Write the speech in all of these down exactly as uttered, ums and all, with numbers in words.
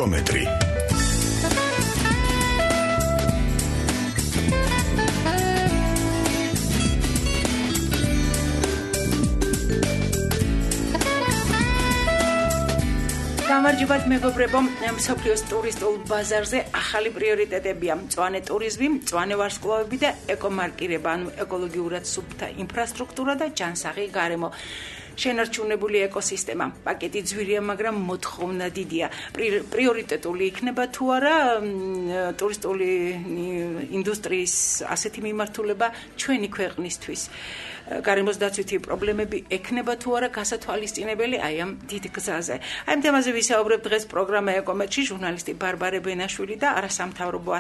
ეკომეტრი. გამარჯობათ მეგობრებო, მსოფლიოს ტურისტულ ბაზარზე ახალი პრიორიტეტებია: მწვანე ტურიზმი, მწვანე ვარსკვლავები და ეკომარკირება, ანუ ეკოლოგიურად სუფთა ინფრასტრუქტურა და ჯანსაღი გარემო. შენარჩუნებული ეკოსისტემა. პაკეტი ძვირია, მაგრამ მოთხოვნა დიდია. პრიორიტეტული იქნება თუ არა ტურისტული ინდუსტრიის ასეთი მიმართულება ჩვენი ქვეყნისთვის. გარემოს დაცვითი პრობლემები ექნება თუ არა გასათვალისწინებელი აი ამ დიდ გზაზე. აი ამ თემაზე ვისაუბრებ დღეს პროგრამა ეკომეტში. ჟურნალისტი ბარბარე ბენაშვილი და არასამთავრობო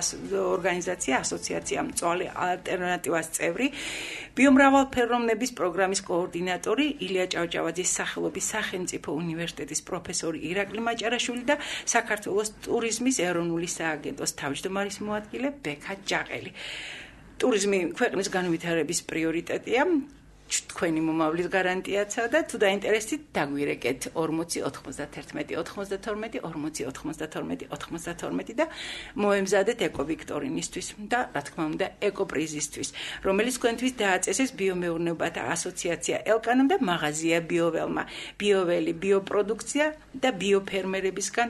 ორგანიზაცია ასოციაცია მწვავე ალტერნატივას წევრი, ბიომრავალფეროვნების პროგრამის კოორდინატორი ილია ჭავჭავაძის სახელობის სახელმწიფო უნივერსიტეტის პროფესორი ირაკლი მაჭარაშვილი და საქართველოს ტურიზმის ეროვნული სააგენტოს თავმჯდომარის მოადგილე ბექა ჯაყელი. ტურიზმი ქვეყნის განვითარების პრიორიტეტია, თქვენი მომავლის გარანტიაცა და თუ დაინტერესდით დაგვირეკეთ ორმოცი ოთხმოცდათერთმეტი ოთხმოცდათორმეტი ორმოცი ოთხმოცდათორმეტი ოთხმოცდათორმეტი და მოემზადეთ ეკოვიქტორინისთვის და რა თქმა უნდა ეკოპრიზისთვის, რომელიც თქვენთვის დააწესეს ბიომეურნეობათა ასოციაცია ელკანამ და მაღაზია ბიოველმა. ბიოველი, ბიოპროდუქცია და ბიოფერმერებისგან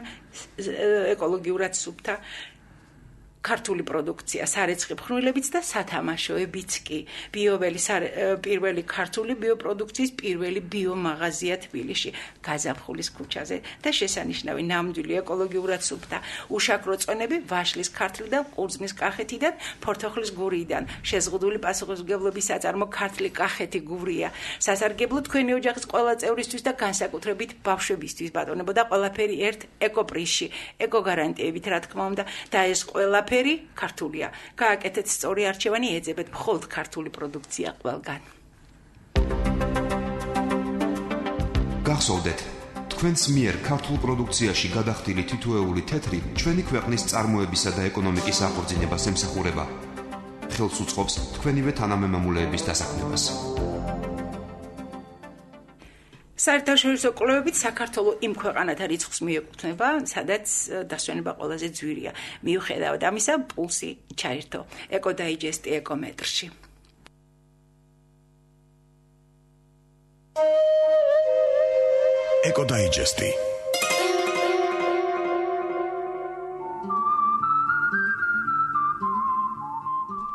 ეკოლოგიურად სუფთა ქართული პროდუქცია, სარეცხი ფხვნილებიც და სათამაშოებიც კი. ბიოველი პირველი ქართული ბიოპროდუქციის პირველი ბიომაღაზია თბილისში, გაზაფხულის ქუჩაზე და შესანიშნავი ნამდვილი ეკოლოგიურად სუფთა უშაქრო წვენები ვაშლის ქართლიდან, ყურძმის კახეთიდან, ფორთოხლის გურიიდან. შეზღუდული პასუხისმგებლობის საწარმო ქართლი კახეთი გურია. სასარგებლო თქვენი ოჯახის ყველა წევრისთვის და განსაკუთრებით ბავშვებისთვის ბატონებო და ყველაფერი ერთ ეკოპრიზში, ეკოგარანტიებით რა თქმა უნდა და ეს ყველაფერი ქართულია. გააკეთეთ სწორი არჩევანი, ეძებეთ მხოლოდ ქართული პროდუქცია ყველგან. გახსოვდეთ, თქვენს მიერ ქართულ პროდუქციაში გადახდილი თითოეული თეთრი ჩვენი ქვეყნის წარმოებისა და ეკონომიკის აღორძინებას ემსახურება. ხელს უწყობს თქვენივე თანამემამულეების დასაქმებას. საერთაშორისო კვლევებით საქართველოს იმ ქვეყანათა რიცხვს მიეკუთვნება, სადაც დასვენება ყველაზე ძვირია. მიუხედავად ამისა, პულსი ჩაერთო. ეკოდაიჯესტი ეკომეტრში. ეკოდაიჯესტი.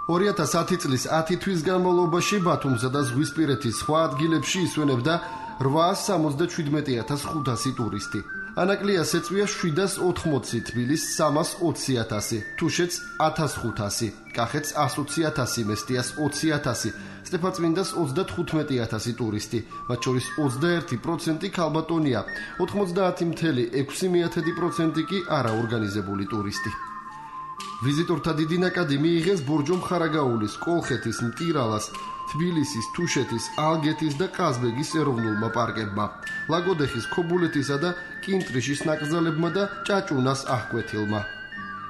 ორი ათას ათი წლის ათი თვის განმავლობაში ბათუმსა და ზღვისპირეთის სხვა ადგილებში ისვენებდა რვაას სამოცდაშვიდმეტი ათას ხუთასი ტურისტი. ანაკლიას ეწვია შვიდას ოთხმოცი, თბილისს სამას ოცი ათასი, თუშეთს ათას ხუთასი, კახეთს ასი ოცი ათასი, მესტიას ოცი ათასი, სტეფანწმინდას ოცდათხუთმეტი ათასი ტურისტი, მათ შორის ოცდაერთი პროცენტი ქალბატონია, ოთხმოცდაათი წამსული ექვსი პროცენტი კი არაორგანიზებული ტურისტი. ვიზიტორთა დიდი ნაკადი მიიღეს ბორჯომ ხარაგაულის, კოლხეთის, მტირალას, თბილისის, თუშეთის, ალგეთის და ყაზბეგის ეროვნულმა პარკებმა, ლაგოდეხის, ქობულეთისა და კინტრიშის ნაკრძალებმა და ჭაჭუნას აღკვეთილმა.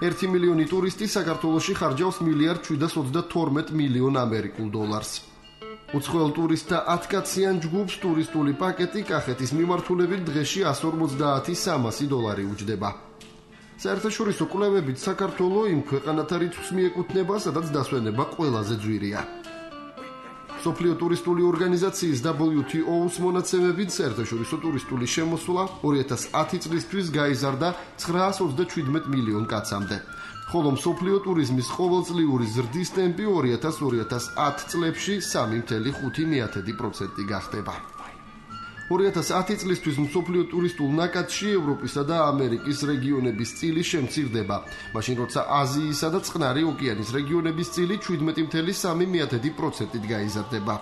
ერთი მილიონი ტურისტი საქართველოში ხარჯავს მილიარდ შვიდას ოცდათორმეტ მილიონ ამერიკულ დოლარს. უცხოელ ტურისტთა ათკაციან ჯგუფს ტურისტული პაკეტი კახეთის მიმართულებით დღეში εκατს ორმოცდაათი χιλιάδες სამასი დოლარი უჯდება. საერთაშორისო კვლევებით საქართველო იმ ქვეყანათა რიცხვს მიეკუთვნება, სადაც დასვენება ყველაზე ძვირია. მსოფლიო ტურისტული ორგანიზაციის დაბლიუ თი ოუს მონაცემებით საერთაშორისო ტურისტული შემოსვლა ორი ათას ათი წლისთვის გაიზარდა ცხრაას ოცდაშვიდმეტ მილიონ კაცამდე, ხოლო მსოფლიო ტურიზმის ყოველწლიური ზრდის ტემპი ორი ათას ორი ათას ათი წლებში სამი ხუთი პროცენტი გახდება. ორი ათას ათი წლისთვის მსოფლიო ტურისტულ ნაკადში ევროპისა და ამერიკის რეგიონების წილი შემცირდება, მაშინ როცა აზიისა და წყნარი ოკეანის რეგიონების წილი შვიდმეტი ხუთი პროცენტით გაიზარდება.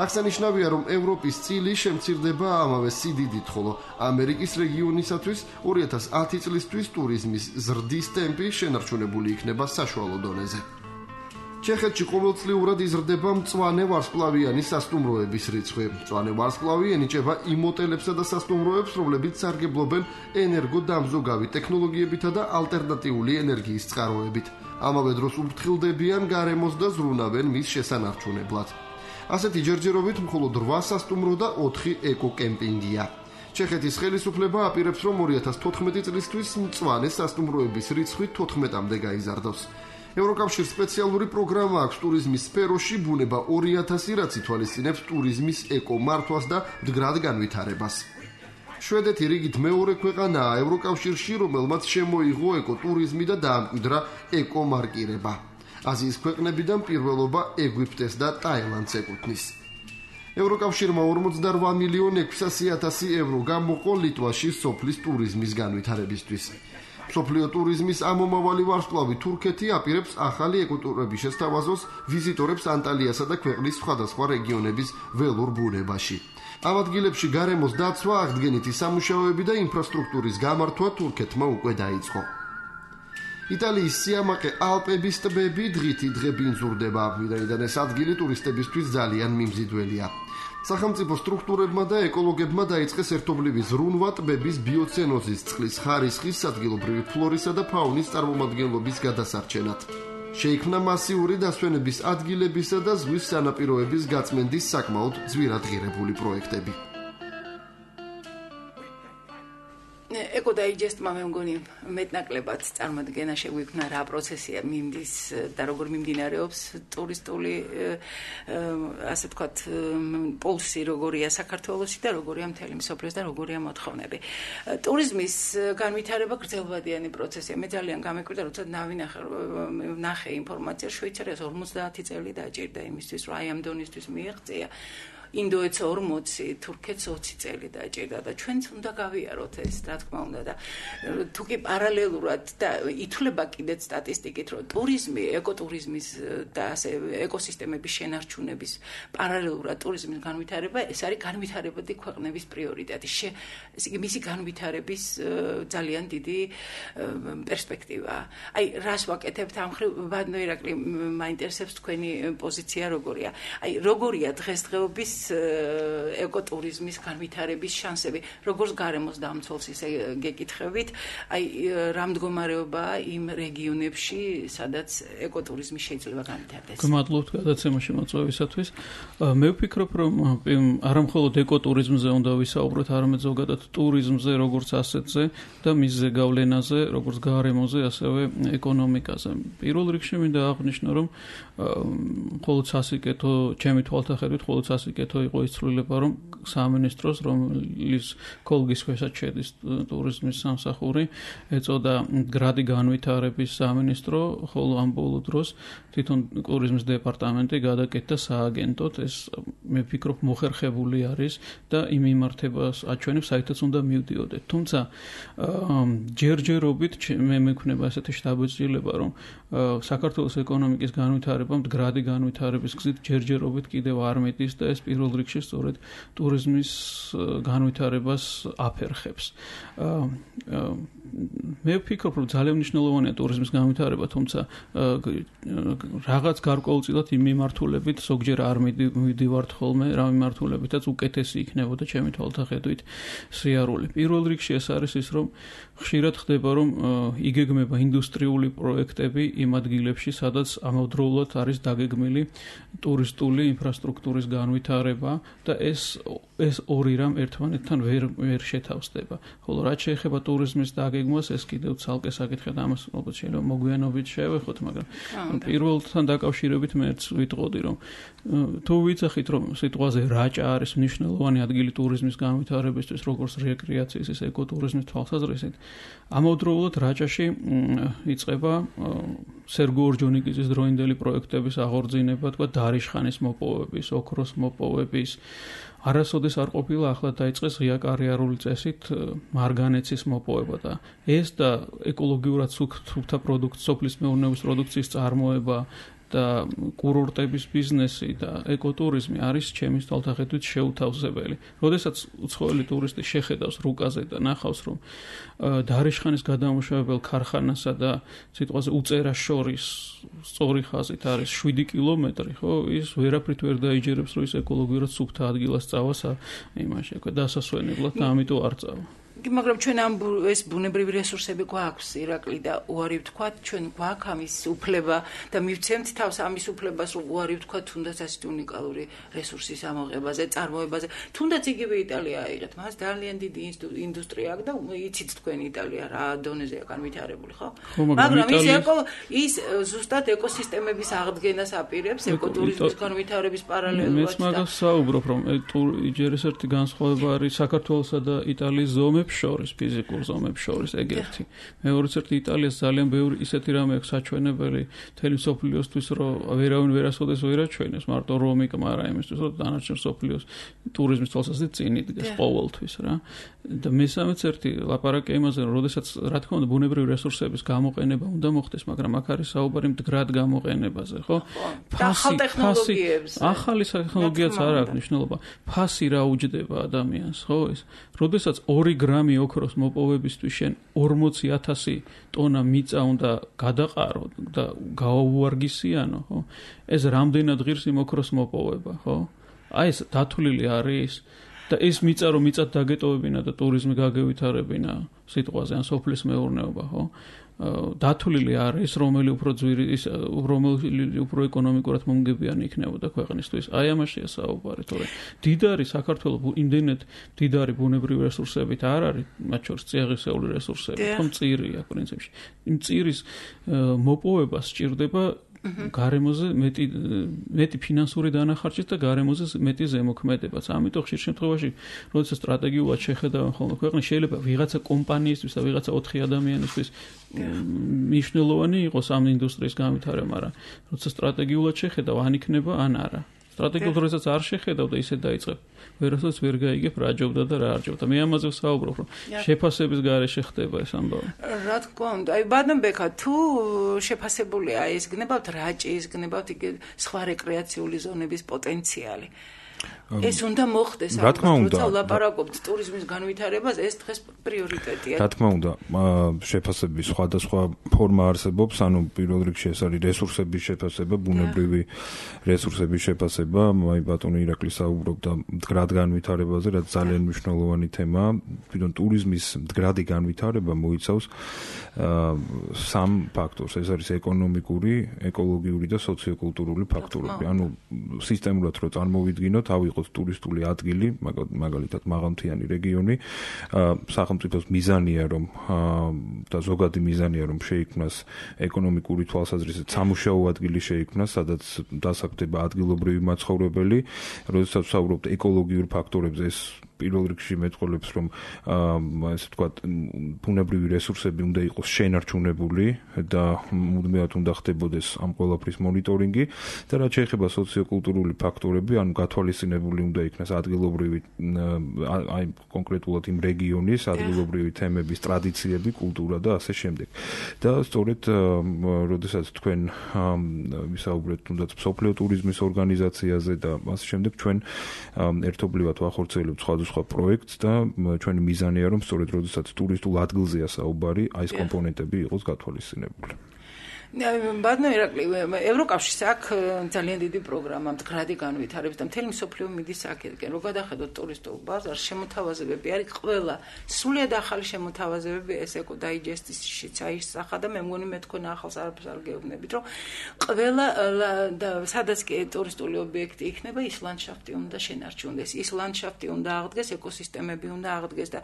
აღსანიშნავია, რომ ევროპის წილი შემცირდება ამავე სიდიდით, ხოლო ამერიკის რეგიონისათვის ორი ათას ათი წლისთვის ტურიზმის ზრდის ტემპი შენარჩუნებული იქნება საშუალო დონეზე. ჩეხეთში ყოველწლიურად იზრდება მწვანე ვარსკვლავიანი სასტუმროების რიცხვი. მწვანე ვარსკვლავი ენიჭება იმ ოტელებსა და სასტუმროებს, რომლებიც სარგებლობენ ენერგოდამზოგავი ტექნოლოგიებითა და ალტერნატიული ენერგიის წყაროებით. ამავე დროს უფრთხილდებიან გარემოს და ზრუნავენ მის შესანარჩუნებლად. ასეთი ჯერჯერობით მხოლოდ რვა სასტუმრო და ოთხი ეკოკემპინგია. ჩეხეთის ხელისუფლება აპირებს, რომ ორი ათას თოთხმეტი წლისთვის მწვანე სასტუმროების რიცხვი თოთხმეტამდე გაიზარდოს. ევროკავშირის სპეციალური პროგრამა აქვს ტურიზმის სფეროში ბუნება ორი ათასი, რაც ითვალისწინებს ტურიზმის ეკომართვას და მდგრად განვითარებას. შვედეთი რიგით მეორე ქვეყანაა ევროკავშირში, რომელმაც შემოიღო ეკოტურიზმი და დაამკვიდრა ეკომარკირება. აზიის ქვეყნებიდან პირველობა ეგვიპტეს და ტაილანდს ეკუთვნის. ევროკავშირმა ორმოცდარვა მილიონი ექვსასი ათასი ევრო გამოყო ლიტვაში სოფლის ტურიზმის განვითარებისთვის. მსოფლიო ტურიზმის ამომავალი ვარსკვლავი თურქეთი აპირებს ახალი ეკოტურების შესთავაზოს ვიზიტორებს ანტალიასა და ქვეყნის სხვადასხვა რეგიონების ველურ ბუნებაში. ამ ადგილებში გარემოს დაცვა, აღდგენითი სამუშაოები და ინფრასტრუქტურის გამართვა თურქეთმა უკვე დაიწყო. იტალიის სიამაყე ალპების ტბები დღითი დღე ბინძურდება, ვინაიდან ეს ადგილი ტურისტებისთვის ძალიან მიმზიდველია. სახელმწიფო სტრუქტურებმა და ეკოლოგებმა დაიწყეს ერთობლივი ზრუნვა ტბების ბიოცენოზის, წყლის ხარისხის, ადგილობრივი ფლორისა და ფაუნის წარმომადგენლობის გადასარჩენად. შეიქმნა მასიური დასვენების ადგილებისა და ზღვის სანაპიროების გაწმენდის საკმაოდ ძვირადღირებული პროექტები. ეკოდაიჯესტმა მე მგონი მეტნაკლებად წარმოდგენა შეგვიქმნა რა პროცესია მიმდის და როგორ მიმდინარეობს ტურისტული ასე ვთქვათ პულსი როგორია საქართველოსი და როგორია მთელი მსოფლიოს და როგორია მოთხოვნები. ტურიზმის განვითარება გრძელვადიანი პროცესია. მე ძალიან გამეკვირდა როცა ნავინახე ნახე ინფორმაცია შვეიცარიას ორმოცდაათი წელი დაჭირდა იმისთვის რომ აი ამ დონისთვის მიეღწია. ინდოეთს ორმოცი, თურქეთს ოცი წელი დაჭირდა და ჩვენც უნდა გავიაროთ ეს, რა თქმა უნდა და თუ კი პარალელურად და ითვლება კიდეც სტატისტიკით, რომ ტურიზმი, ეკოტურიზმის და ასე ეკოსისტემების შენარჩუნების პარალელურად ტურიზმის განვითარება, ეს არის განვითარებადი ქვეყნების პრიორიტეტი. ესე იგი მისი განვითარების ძალიან დიდი პერსპექტივაა. აი, რას ვაკეთებთ ამ ხრივ, ბატონო ირაკლი, მაინტერესებს თქვენი პოზიცია როგორია. აი, როგორია დღესდღეობის ეკოტურიზმის განვითარების შანსები, როგორც გარემოს დამცველს ისე გეკითხებით, აი რა მდგომარეობაა იმ რეგიონებში, სადაც ეკოტურიზმი შეიძლება განვითარდეს. გმადლობთ გადაცემაში მოწვევისათვის. მე ვფიქრობ, რომ არა მხოლოდ ეკოტურიზმზე უნდა ვისაუბროთ, არამედ ზოგადად ტურიზმზე, როგორც ასეთზე და მის ზეგავლენაზე, როგორც გარემოზე, ასევე ეკონომიკაზე. პირველ რიგში მინდა აღვნიშნო, რომ მხოლოდ სასიკეთო, ჩემი თვალსაჩინით, მხოლოდ სასიკეთო იყო ის ცვლილება, რომ სამინისტროს, რომლის კოლგის ქვეშაც შედის ტურიზმის სამსახური, ეწოდა მდგრადი განვითარების სამინისტრო, ხოლო ამ ბოლო დროს თვითონ ტურიზმის დეპარტამენტი გადაკეთდა სააგენტოდ. ეს მე ვფიქრობ მოხერხებული არის და იმ მიმართებას აჩვენებს, საერთოდ უნდა მივდიოდეთ. თუმცა ჯერჯერობით მე მექნება ესეთი შთაბეჭდილება, რომ საქართველოს ეკონომიკის განვითარება მდგრადი განვითარების გზით ჯერჯერობით კიდევ არ მიდის და ეს პირველ რიგში სწორედ ტურიზმის განვითარებას აფერხებს. მე ვფიქრობ, რომ ძალიან მნიშვნელოვანია ტურიზმის განვითარება, თუმცა რაღაც გარკვეულწილად იმ მიმართულებით ზოგჯერ არ მივდივართ ხოლმე, რა მიმართულებითაც უკეთესი იქნებოდა ჩემი თვალსაჩინით სიარული. პირველ რიგში ეს არის ის, რომ ხშირად ხდება, რომ იგეგმება ინდუსტრიული პროექტები იმ ადგილებში, სადაც ამავდროულად არის დაგეგმილი ტურისტული ინფრასტრუქტურის განვითარება და ეს ეს ორი რამ ერთმანეთთან ვერ ვერ შეთავსდება. ხოლო რაც შეეხება ტურიზმის დაგეგმვას, ეს კიდევ ცალკე საკითხია და ამას ალბათ შეიძლება მოგვიანობით შევეხოთ, მაგრამ პირველთან დაკავშირებით მეც ვიტყოდი, რომ თუ ვიცახით, რომ სიტყვაზე რაჭა არის მნიშვნელოვანი ადგილი ტურიზმის განვითარებისთვის, როგორც რეკრეაციის, ისე ეკოტურიზმის თვალსაზრისით, ამავდროულად რაჭაში იწყება სერგო ორჯონიკიძის დროინდელი პროექტების აღორძინება, თქვა დარიშხანის მოპოვების, ოქროს მოპოვების, არასოდეს არ ყოფილა, ახლა დაიწყეს ღია კარიერული წესით მარგანეცის მოპოვება და ეს და ეკოლოგიურად სუფთა პროდუქტ, სოფლის მეურნეობის პროდუქციის წარმოება და კურორტების ბიზნესი და ეკოტურიზმი არის ჩემი თვალსაჩინით შეუთავსებელი. როდესაც უცხოელი ტურისტი შეხედავს რუკაზე და ნახავს, რომ დარიშხანის გადამუშავებელ ქარხანასა და სიტყვაზე უწერას შორის სწორი ხაზით არის შვიდი კილომეტრი, ხო, ის ვერაფრით ვერ დაიჯერებს, რომ ის ეკოლოგიურად სუფთა ადგილას წავა იმაში, დასასვენებლად და ამიტომ არ წავა. მაგრამ ჩვენ ამ ეს ბუნებრივი რესურსები გვაქვს ირაკლი და უარი ვთქვათ ჩვენ გვაქვს ამის უფლება და მივცემთ თავს ამის უფლებას რომ უარი ვთქვათ თუნდაც ასეთი უნიკალური რესურსის ამოღებაზე, წარმოებაზე. თუნდაც იგივე იტალია აიღეთ, მას ძალიან დიდი ინდუსტრია აქვს და იცით თქვენ იტალია რა დონეზეა განვითარებული, ხო? მაგრამ ის ეკო ის ზუსტად ეკოსისტემების აღდგენას აპირებს ეკოტურიზმის განვითარების პარალელურად. მეც მაგას საუბრობ რომ ჯერ ეს ერთი განსხვავება არის საქართველოსა და იტალიის ზომებს შორის, ფიზიკურ ზომებს შორის, ეგ ერთი. მეორეც ერთი იტალიას ძალიან ბევრი ისეთი რამე აქვს საჩვენებელი მთელი მსოფლიოსთვის, რომ ვერავინ ვერასოდეს ვერ აჩვენებს, მარტო რომი კმარა იმისთვის, რომ დანარჩენ მსოფლიოს ტურიზმის თვალსაზრისით წინ იდგეს ყოველთვის რა. და მესამეც ერთი ლაპარაკი იმაზე, რომ როდესაც რა თქმა უნდა ბუნებრივი რესურსების გამოყენება უნდა მოხდეს, მაგრამ აქ არის საუბარი მდგრად გამოყენებაზე, ხო? ახალ ტექნოლოგიებს. ახალი ტექნოლოგიაც არ აქვს მნიშვნელობა. ფასი რა უჯდება ადამიანს, ხო ეს? როდესაც ორი გრამი ოქროს მოპოვებისთვის შენ ორმოცი ათასი ტონა მიწა უნდა გადაყარო და გააუვარგისიანო, ხო? ეს რამდენად ღირს იმ ოქროს მოპოვება, ხო? აი ეს დათვლილი არის და ეს მიწა რომ მიწად დაგეტოვებინა და ტურიზმი გაგევითარებინა სიტყვაზე ან სოფლის მეურნეობა, ხო? დათვლილი არის, რომელი უფრო ძვირი ის რომელი უფრო ეკონომიკურად მომგებიანი იქნებოდა ქვეყნისთვის. აი ამაშია საუბარი, თორე დიდარი საქართველოს იმდენად დიდარი ბუნებრივი რესურსებით არ არის, მათ შორის წიაღისეული რესურსები, ხო მწირია პრინციპში. იმ მწირის მოპოვებას სჭირდება გარემოზე მეტი მეტი ფინანსური დანახარჯით და გარემოზე მეტი ზემოქმედებაც. ამიტომ ხშირ შემთხვევაში, როდესაც სტრატეგიულად შეხედავენ ხოლმე ქვეყნის, შეიძლება ვიღაცა კომპანიისთვის და ვიღაცა ოთხი ადამიანისთვის მნიშვნელოვანი იყოს ამ ინდუსტრიის განვითარება, მაგრამ როცა სტრატეგიულად შეხედავ, ან იქნება, ან არა. სტრატეგიულად როდესაც არ შეხედავ და ისე დაიწყებ, ვერასოდეს ვერ გაიგებ რა ჯობდა და რა არ ჯობდა. მე ამაზე ვსაუბრობ, რომ შეფასების გარეშე ხდება ეს ამბავი. რა თქმა უნდა, აი ბადნბექა, თუ შეფასებულია ეს გნებავთ რაჭის, გნებავთ იგი სხვა რეკრეაციული ზონების პოტენციალი. ეს უნდა მოხდეს, როცა ვლაპარაკობთ ტურიზმის განვითარებას, ეს დღეს პრიორიტეტია. რა თქმა უნდა, შეფასების სხვადასხვა ფორმა არსებობს, ანუ პირველ რიგში ეს არის რესურსების შეფასება, ბუნებრივი რესურსების შეფასება, აი ბატონი ირაკლი საუბრობდა მდგრად განვითარებაზე, რაც ძალიან მნიშვნელოვანი თემაა. თვითონ ტურიზმის მდგრადი განვითარება მოიცავს სამ ფაქტორს, ეს არის ეკონომიკური, ეკოლოგიური და სოციოკულტურული ფაქტორები. ანუ სისტემურად რო წარმოვიდგინოთ, ავიღოთ ტურისტული ადგილი, მაგალითად მაღალმთიანი რეგიონი, სახელმწიფოს მიზანია რომ და ზოგადი მიზანია რომ შეიქმნას ეკონომიკური თვალსაზრისით სამუშაო ადგილი შეიქმნას, სადაც დასაქმდება ადგილობრივი მაცხოვრებელი, როდესაც ვსაუბრობთ ეკოლოგიურ ფაქტორებზე, ეს პირველ რიგში მეტყოლებს რომ ესე ვთქვათ ბუნებრივი რესურსები უნდა იყოს შენარჩუნებული და მუდმივად უნდა ხდებოდეს ამ ყველაფრის მონიტორინგი და რაც შეეხება სოციოკულტურული ფაქტორები, ანუ გათვალისწინებული უნდა იქნას ადგილობრივი აი კონკრეტულად იმ რეგიონის ადგილობრივი თემების, ტრადიციები, კულტურა და ასე შემდეგ. და სწორედ როდესაც თქვენ ვისაუბრეთ თუნდაც მსოფლიო ტურიზმის ორგანიზაციაზე და ასე შემდეგ, ჩვენ ერთობლივად ვახორციელებთ სხვა სხვა პროექტს და ჩვენი მიზანია რომ სწორედ როდესაც ტურისტულ ადგილზეა საუბარი, აი ეს კომპონენტები იყოს გათვალისწინებული. ბატონო ირაკლი, ევროკავშირს აქვს ძალიან დიდი პროგრამა მდგრადი განვითარების და მთელი მსოფლიო მიდის აქეთკენ. რო გადახედოთ ტურისტულ ბაზარს, შემოთავაზებები არის ყველა, სრულიად ახალი შემოთავაზებები, ეს ეკო დაიჯესტისშიც აისახა და მე მგონი მე თქვენ ახალს არაფერს არ გეუბნებით, რომ ყველა და სადაც კი ტურისტული ობიექტი იქნება, ის ლანდშაფტი უნდა შენარჩუნდეს, ის ლანდშაფტი უნდა აღდგეს, ეკოსისტემები უნდა აღდგეს და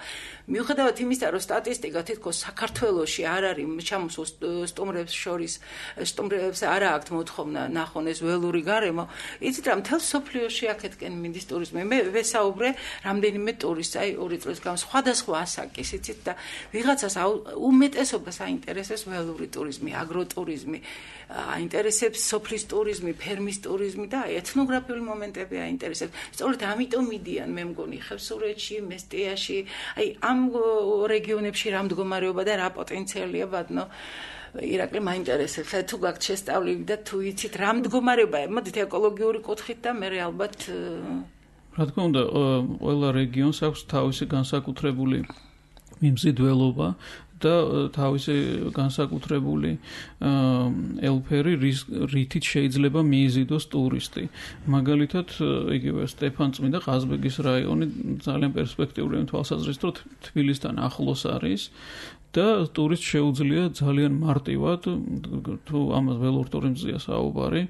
მიუხედავად იმისა, რომ სტატისტიკა თითქოს საქართველოში არ არის ჩამოსულ სტუმრებს შორის სტუმრებს არა აქვთ მოთხოვნა ნახონ ეს ველური გარემო. იცით რა, მთელ სოფლიოში აქეთკენ მიდის ტურიზმი. მე ვესაუბრე რამდენიმე ტურისტს, აი ორი წლის გამ სხვადასხვა ასაკის, იცით და ვიღაცას უმეტესობას აინტერესებს ველური ტურიზმი, აგროტურიზმი, აინტერესებს სოფლის ტურიზმი, ფერმის ტურიზმი და ეთნოგრაფიული მომენტები აინტერესებს. სწორედ ამიტომ მიდიან, მე მგონი, ხევსურეთში, მესტიაში, აი ამ რეგიონებში რა მდგომარეობა და რა პოტენციალია ბატონო ირაკლი მაინტერესებს, თუ გაქვთ შესწავლილი და თუ იცით რა მდგომარეობაა, მოდით ეკოლოგიური კუთხით და მე ალბათ რა თქმა უნდა, ყველა რეგიონს აქვს თავისი განსაკუთრებული მიმზიდველობა და თავისი განსაკუთრებული ელფერი რითით შეიძლება მიიზიდოს ტურისტი. მაგალითად, იგივე სტეფანწმინდა ყაზბეგის რაიონი ძალიან პერსპექტიული თვალსაზრისით, თბილისთან ახლოს არის და ტურისტს შეუძლია ძალიან მარტივად თუ ამას ველურ ტურიზმზეა საუბარი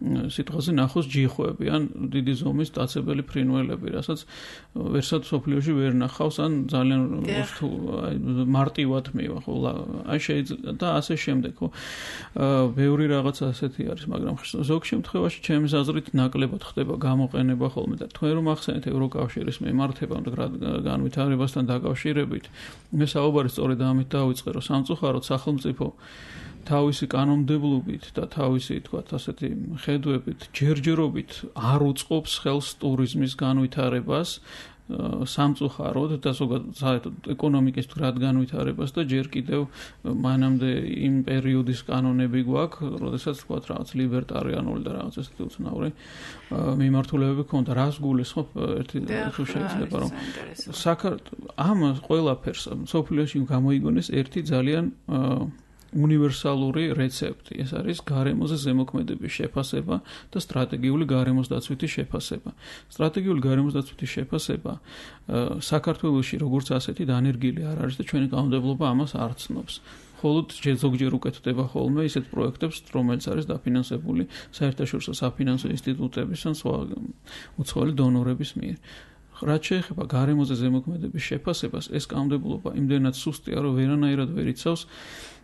სიტყვაზე ნახოს ჯიხვები ან დიდი ზომის დაცებელი ფრინველები, რასაც ვერსად სოფლიოში ვერ ნახავს ან ძალიან მარტივად მივა, ხო, აი შეიძლება და ასე შემდეგ, ხო. ბევრი რაღაცა ასეთი არის, მაგრამ ზოგ შემთხვევაში ჩემს აზრით ნაკლებად ხდება გამოყენება ხოლმე და თქვენ რომ ახსენეთ ევროკავშირის მემართება განვითარებასთან დაკავშირებით, მე საუბარი სწორედ ამით დავიწყე, რომ სამწუხაროდ სახელმწიფო თავისი კანონმდებლობით და თავისი, თქვათ, ასეთი ხედვებით, ჯერჯერობით არ უწყობს ხელს ტურიზმის განვითარებას სამწუხაროდ და ზოგადად ეკონომიკის თრად განვითარებას და ჯერ კიდევ მანამდე იმ პერიოდის კანონები გვაქვს, როდესაც თქვათ რაღაც ლიბერტარიანული და რაღაც ესეთი უცნაური მიმართულებები ქონდა. რას გულისხმობ ერთი თუ შეიძლება რომ საქართველოს ამ ყველაფერს სოფლიოში გამოიგონეს ერთი ძალიან უნივერსალური რეცეპტი. ეს არის გარემოზე ზემოქმედების შეფასება და სტრატეგიული გარემოს დაცვითი შეფასება. სტრატეგიული გარემოს დაცვითი შეფასება საქართველოში როგორც ასეთი დანერგილი არ არის და ჩვენი კანონმდებლობა ამას არ ცნობს. მხოლოდ ზოგჯერ უკეთდება ხოლმე ისეთ პროექტებს, რომელიც არის დაფინანსებული საერთაშორისო საფინანსო ინსტიტუტების ან სხვა უცხოელი დონორების მიერ. რაც შეეხება გარემოზე ზემოქმედების შეფასებას, ეს კანონმდებლობა იმდენად სუსტია, რომ ვერანაირად ვერ იცავს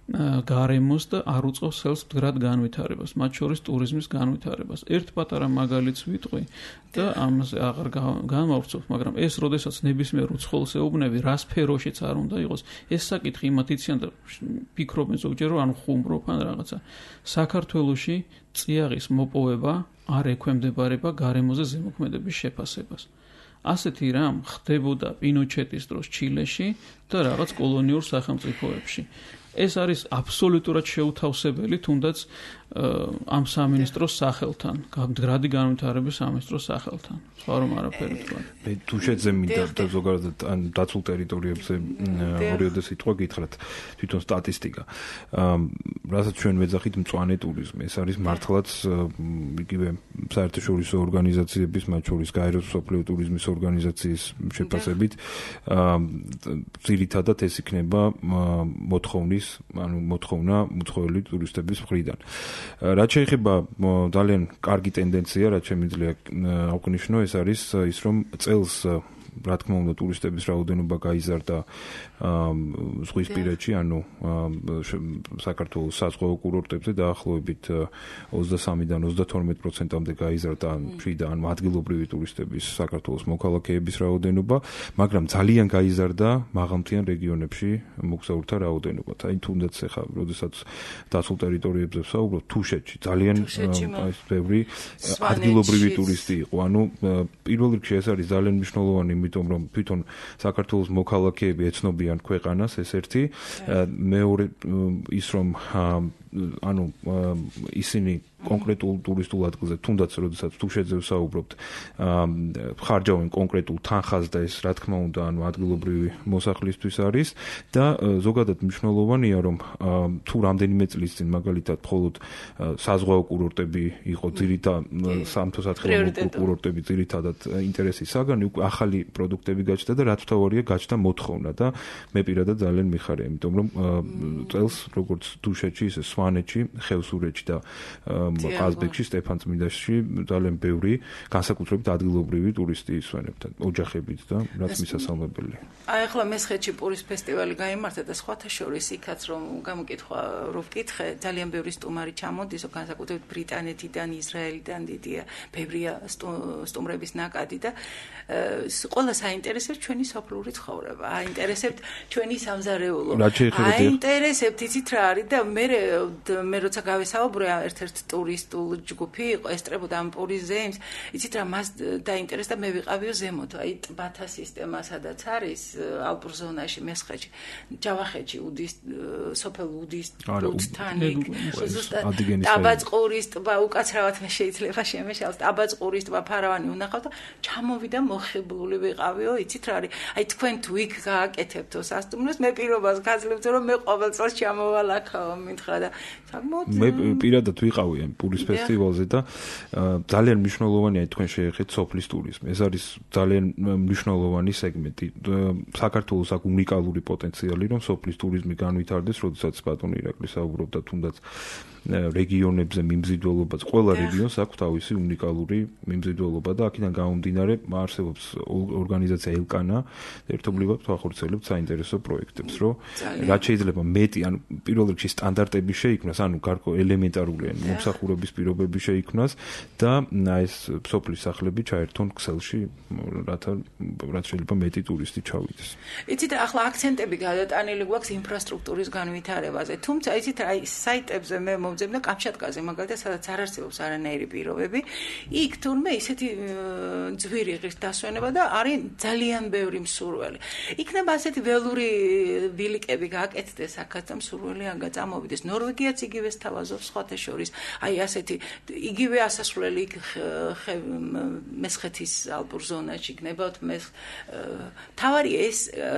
გარემოს და არ უწყობს ხელს მდგრად განვითარებას, მათ შორის ტურიზმის განვითარებას. ერთ პატარა მაგალითს ვიტყვი და ამაზე აღარ გამავრცობ, მაგრამ ეს როდესაც ნებისმიერ უცხოელს ეუბნები, რა სფეროშიც არ უნდა იყოს, ეს საკითხი იმათ იციან და ფიქრობენ ზოგჯერ რომ ან ხუმრობ ან რაღაცა. საქართველოში წიაღის მოპოვება არ ექვემდებარება გარემოზე ზემოქმედების შეფასებას. ასეთი რამ ხდებოდა პინოჩეტის დროს ჩილეში და რაღაც კოლონიურ სახელმწიფოებში. ეს არის აბსოლუტურად შეუთავსებელი, თუნდაც ამ სამინისტროს სახელთან, მდგრადი განვითარების სამინისტროს სახელთან. სხვა რომ არაფერი თქვა. მე თუ შეძე მინდა და ზოგადად ან დაცულ ტერიტორიებზე ორიოდე სიტყვა გითხრათ, თვითონ სტატისტიკა. რასაც ჩვენ ვეძახით მწვანე ტურიზმი, ეს არის მართლაც იგივე საერთაშორისო ორგანიზაციების, მათ შორის გაეროს მსოფლიო ტურიზმის ორგანიზაციის შეფასებით, ძირითადად ეს იქნება მოთხოვნის, ანუ მოთხოვნა უცხოელი ტურისტების მხრიდან. რაც შეეხება ძალიან კარგი ტენდენცია, რაც შემიძლია აღვნიშნო, ეს არის ის, რომ წელს რა თქმა უნდა ტურისტების რაოდენობა გაიზარდა ზღვისპირეთში, ანუ საქართველოს საზღვაო კურორტებზე დაახლოებით ოცდასამიდან ოცდათორმეტ პროცენტამდე გაიზარდა მშვიდად ან ადგილობრივი ტურისტების საქართველოს მოქალაქეების რაოდენობა, მაგრამ ძალიან გაიზარდა მაღალმთიან რეგიონებში მოგზაურთა რაოდენობა. აი თუნდაც ახლა, როდესაც დაცულ ტერიტორიებზე ვსაუბრობ, თუშეთში ძალიან ეს ბევრი ადგილობრივი ტურისტი იყო. ანუ პირველ რიგში ეს არის ძალიან მნიშვნელოვანი, იმიტომ რომ თვითონ საქართველოს მოქალაქეები ეცნობიან ქვეყანას, ეს ერთი, მეორე ის რომ ანუ ისინი კონკრეტულ ტურისტულ ადგილზე, თუნდაც როდესაც თუშეთზე ვსაუბრობთ, ხარჯავენ კონკრეტულ თანხას და ეს რა თქმა უნდა, ანუ ადგილობრივი მოსახლისთვის არის და ზოგადად მნიშვნელოვანია, რომ თუ რამდენიმე წლის წინ მაგალითად მხოლოდ საზღვაო კურორტები იყო ძირითადად სამთო-სათხილამურო კურორტები ძირითადად ინტერესის საგანი, უკვე ახალი პროდუქტები გაჩნდა და რაც თავარია გაჩნდა მოთხოვნა და მე პირადად ძალიან მიხარია, იმიტომ რომ წელს როგორც თუშეთში, ისე სვანეთში, ხევსურეთში და ყაზბეგში, სტეფანწმინდაში ძალიან ბევრი განსაკუთრებით ადგილობრივი ტურისტი ისვენებდა, ოჯახებით და რაც მისასალმებელია. აი ახლა მესხეთში პურის ფესტივალი გაიმართა და სხვათა შორის იქაც რომ გამოკითხვა რო ვკითხე, ძალიან ბევრი სტუმარი ჩამოდის, განსაკუთრებით ბრიტანეთიდან, ისრაელიდან დიდია, ბევრია სტუმრების ნაკადი და ყველა საინტერესებს ჩვენი სოფლური ცხოვრება, აინტერესებთ ჩვენი სამზარეულო. აინტერესებთ იცით რა არის და მე მე როცა გავესაუბრე ერთ-ერთ ტურისტულ ჯგუფი იყო ესწრებოდა ამ პურიზეიმს, იცით რა მას დაინტერესდა მე ვიყავიო ზემოთ, აი ტბათა სისტემა სადაც არის ალპურ ზონაში მესხეთში, ჯავახეთში უდის სოფელ უდის ლუცთან ზუსტად ტაბაწყურის ტბა უკაცრავად მე შეიძლება შემეშალოს ტაბაწყურის ტბა ფარავანი უნახავთ და ჩამოვიდა მოხიბლული ვიყავიო, იცით რა არის, აი თქვენ თუ იქ გააკეთებთო სასტუმროს მე პირობას გაძლევთ რომ მე ყოველ წელს ჩამოვალ აქაო მითხრა და საკმაოდ მე პირადად ვიყავი ამ პურის ფესტივალზე და ძალიან მნიშვნელოვანია თქვენ შეეხეთ სოფლის ტურიზმი. ეს არის ძალიან მნიშვნელოვანი სეგმენტი. საქართველოს აქვს უნიკალური პოტენციალი რომ სოფლის ტურიზმი განვითარდეს, როდესაც ბატონი ირაკლი საუბრობდა თუნდაც რეგიონებზე მიმზიდველობაც, ყველა რეგიონს აქვს თავისი უნიკალური მიმზიდველობა და აქედან გამომდინარე არსებობს ორგანიზაცია ელკანა, ერთობლივად ვახორციელებთ საინტერესო პროექტებს, რომ რაც შეიძლება მეტი, ანუ პირველ რიგში სტანდარტები შეიქმნას, ანუ გარკვეულ ელემენტარული მომსახურების პირობები შეიქმნას და ეს სოფლის სახლები ჩაერთონ ქსელში, რათა რაც შეიძლება მეტი ტურისტი ჩავიდეს. იცით ახლა აქცენტები გადატანილი გვაქვს ინფრასტრუქტურის განვითარებაზე, თუმცა იცით აი საიტებზე მე მოვძებნა კამჩატკაზე მაგალითად სადაც არ არსებობს არანაირი პირობები, იქ თურმე ისეთი ძვირი ღირს დასვენება და არის ძალიან ბევრი მსურველი. იქნება ასეთი ველური ბილიკები გააკეთდეს აქაც და მსურველი აგაწამოვიდეს. ნორვეგიაც იგივე სთავაზობს სხვათა შორის. აი ასეთი იგივე ასასვლელი იქ მესხეთის ალპურ ზონაში იქნებათ მეს თავარი ეს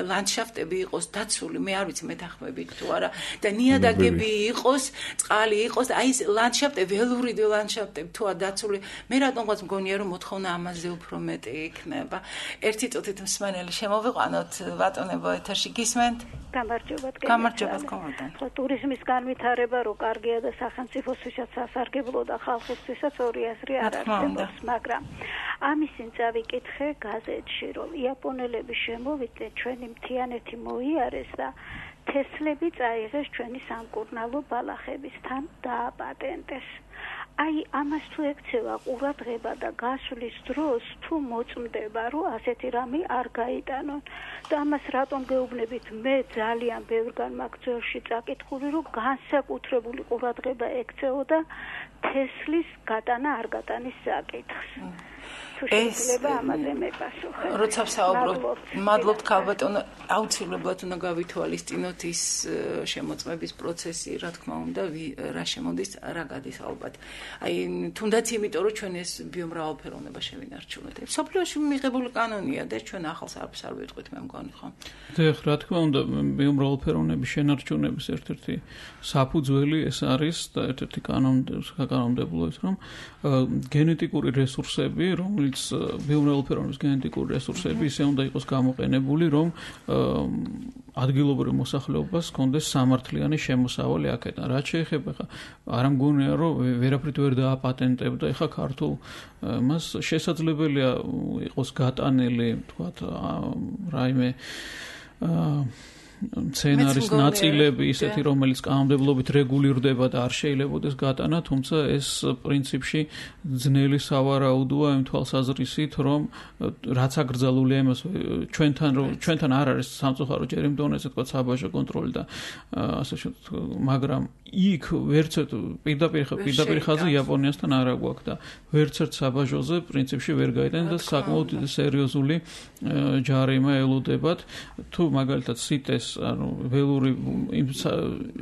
ლანდშაფტები იყოს დაცული, მე არ ვიცი მეთანხმებით თუ არა და ნიადაგები იყოს, წყალი იყოს, აი ეს ლანდშაფტები, ველური ლანდშაფტები თუა დაცული, მე რატომღაც მგონია რომ მოთხოვნა ამაზე უფრო მეტი იქნება. ერთი წუთით მსმენელი შემოვიყვანოთ, ბატონებო ეთერში გისმენთ? გამარჯობა, გამარჯობა, კომოდან. ტურიზმის განვითარება რო კარგია და სახელმწიფოსთვისაც სასარგებლო და ხალხისთვისაც ორი აზრი არ არსებობს, მაგრამ ამის წინ წავიკითხე გაზეთში, რომ იაპონელები შემოვიდნენ, ჩვენი მთიანეთი მოიარეს და თესლები წაიღეს ჩვენი სამკურნალო ბალახებისთან დააპატენტეს. აი ამას თუ ექცევა ყურადღება და გასვლის დროს თუ მოწმდება რომ ასეთი რამე არ გაიტანონ და ამას რატომ გეუბნებით მე ძალიან ბევრგან მაქვს ძველში წაკითხული რომ განსაკუთრებული ყურადღება ექცეოდა თესლის გატანა არ გატანის საკითხს. შეიძლება ამაზე მეპასუხე. როცა ვსაუბრობ, მადლობთ ქალბატონო, აუცილებლად უნდა გავითვალისწინოთ ის შემოწმების პროცესი, რა თქმა უნდა, რა შემოდის, რა გადის ალბათ. აი, თუნდაც იმიტომ, რომ ჩვენ ეს ბიომრავალფეროვნება შევინარჩუნოთ. სოფლიოში მიღებული კანონია და ჩვენ ახალს არაფერს არ ვიტყვით, მე მგონი ხო? დიახ, რა თქმა უნდა, ბიომრავალფეროვნების შენარჩუნების ერთ-ერთი საფუძველი ეს არის და ერთ-ერთი კანონმდებლო ის, რომ გენეტიკური რესურსები, რომელიც ბიომრავალფეროვნების გენეტიკური რესურსები ისე უნდა იყოს გამოყენებული, რომ ადგილობრივ მოსახლეობას ჰქონდეს სამართლიანი შემოსავალი აქედან. რაც შეეხება ხა არ მგონია რომ ვერაფრით ვერ დააპატენტებდა ეხა ქართულ მას შესაძლებელია იყოს გატანილი თქვათ რაიმე სცენარის ნაწილები ისეთი რომელიც კანონმდებლობით რეგულირდება და არ შეიძლებაოდეს გატანა, თუმცა ეს პრინციპში ძნელი სავარაუდოა იმ თვალსაზრისით, რომ რაც აკრძალულია იმას ჩვენთან რომ ჩვენთან არ არის სამწუხარო ჯერ იმ დონეზე თქვა საბაჟო კონტროლი და ასე შეთქვა, მაგრამ იქ ვერცერთ პირდაპირ პირდაპირ ხაზი იაპონიასთან არ აქვს და ვერცერთ საბაჟოზე პრინციპში ვერ გაიტანენ და საკმაოდ სერიოზული ჯარიმა ელოდებათ თუ მაგალითად სიტეს ანუ ველური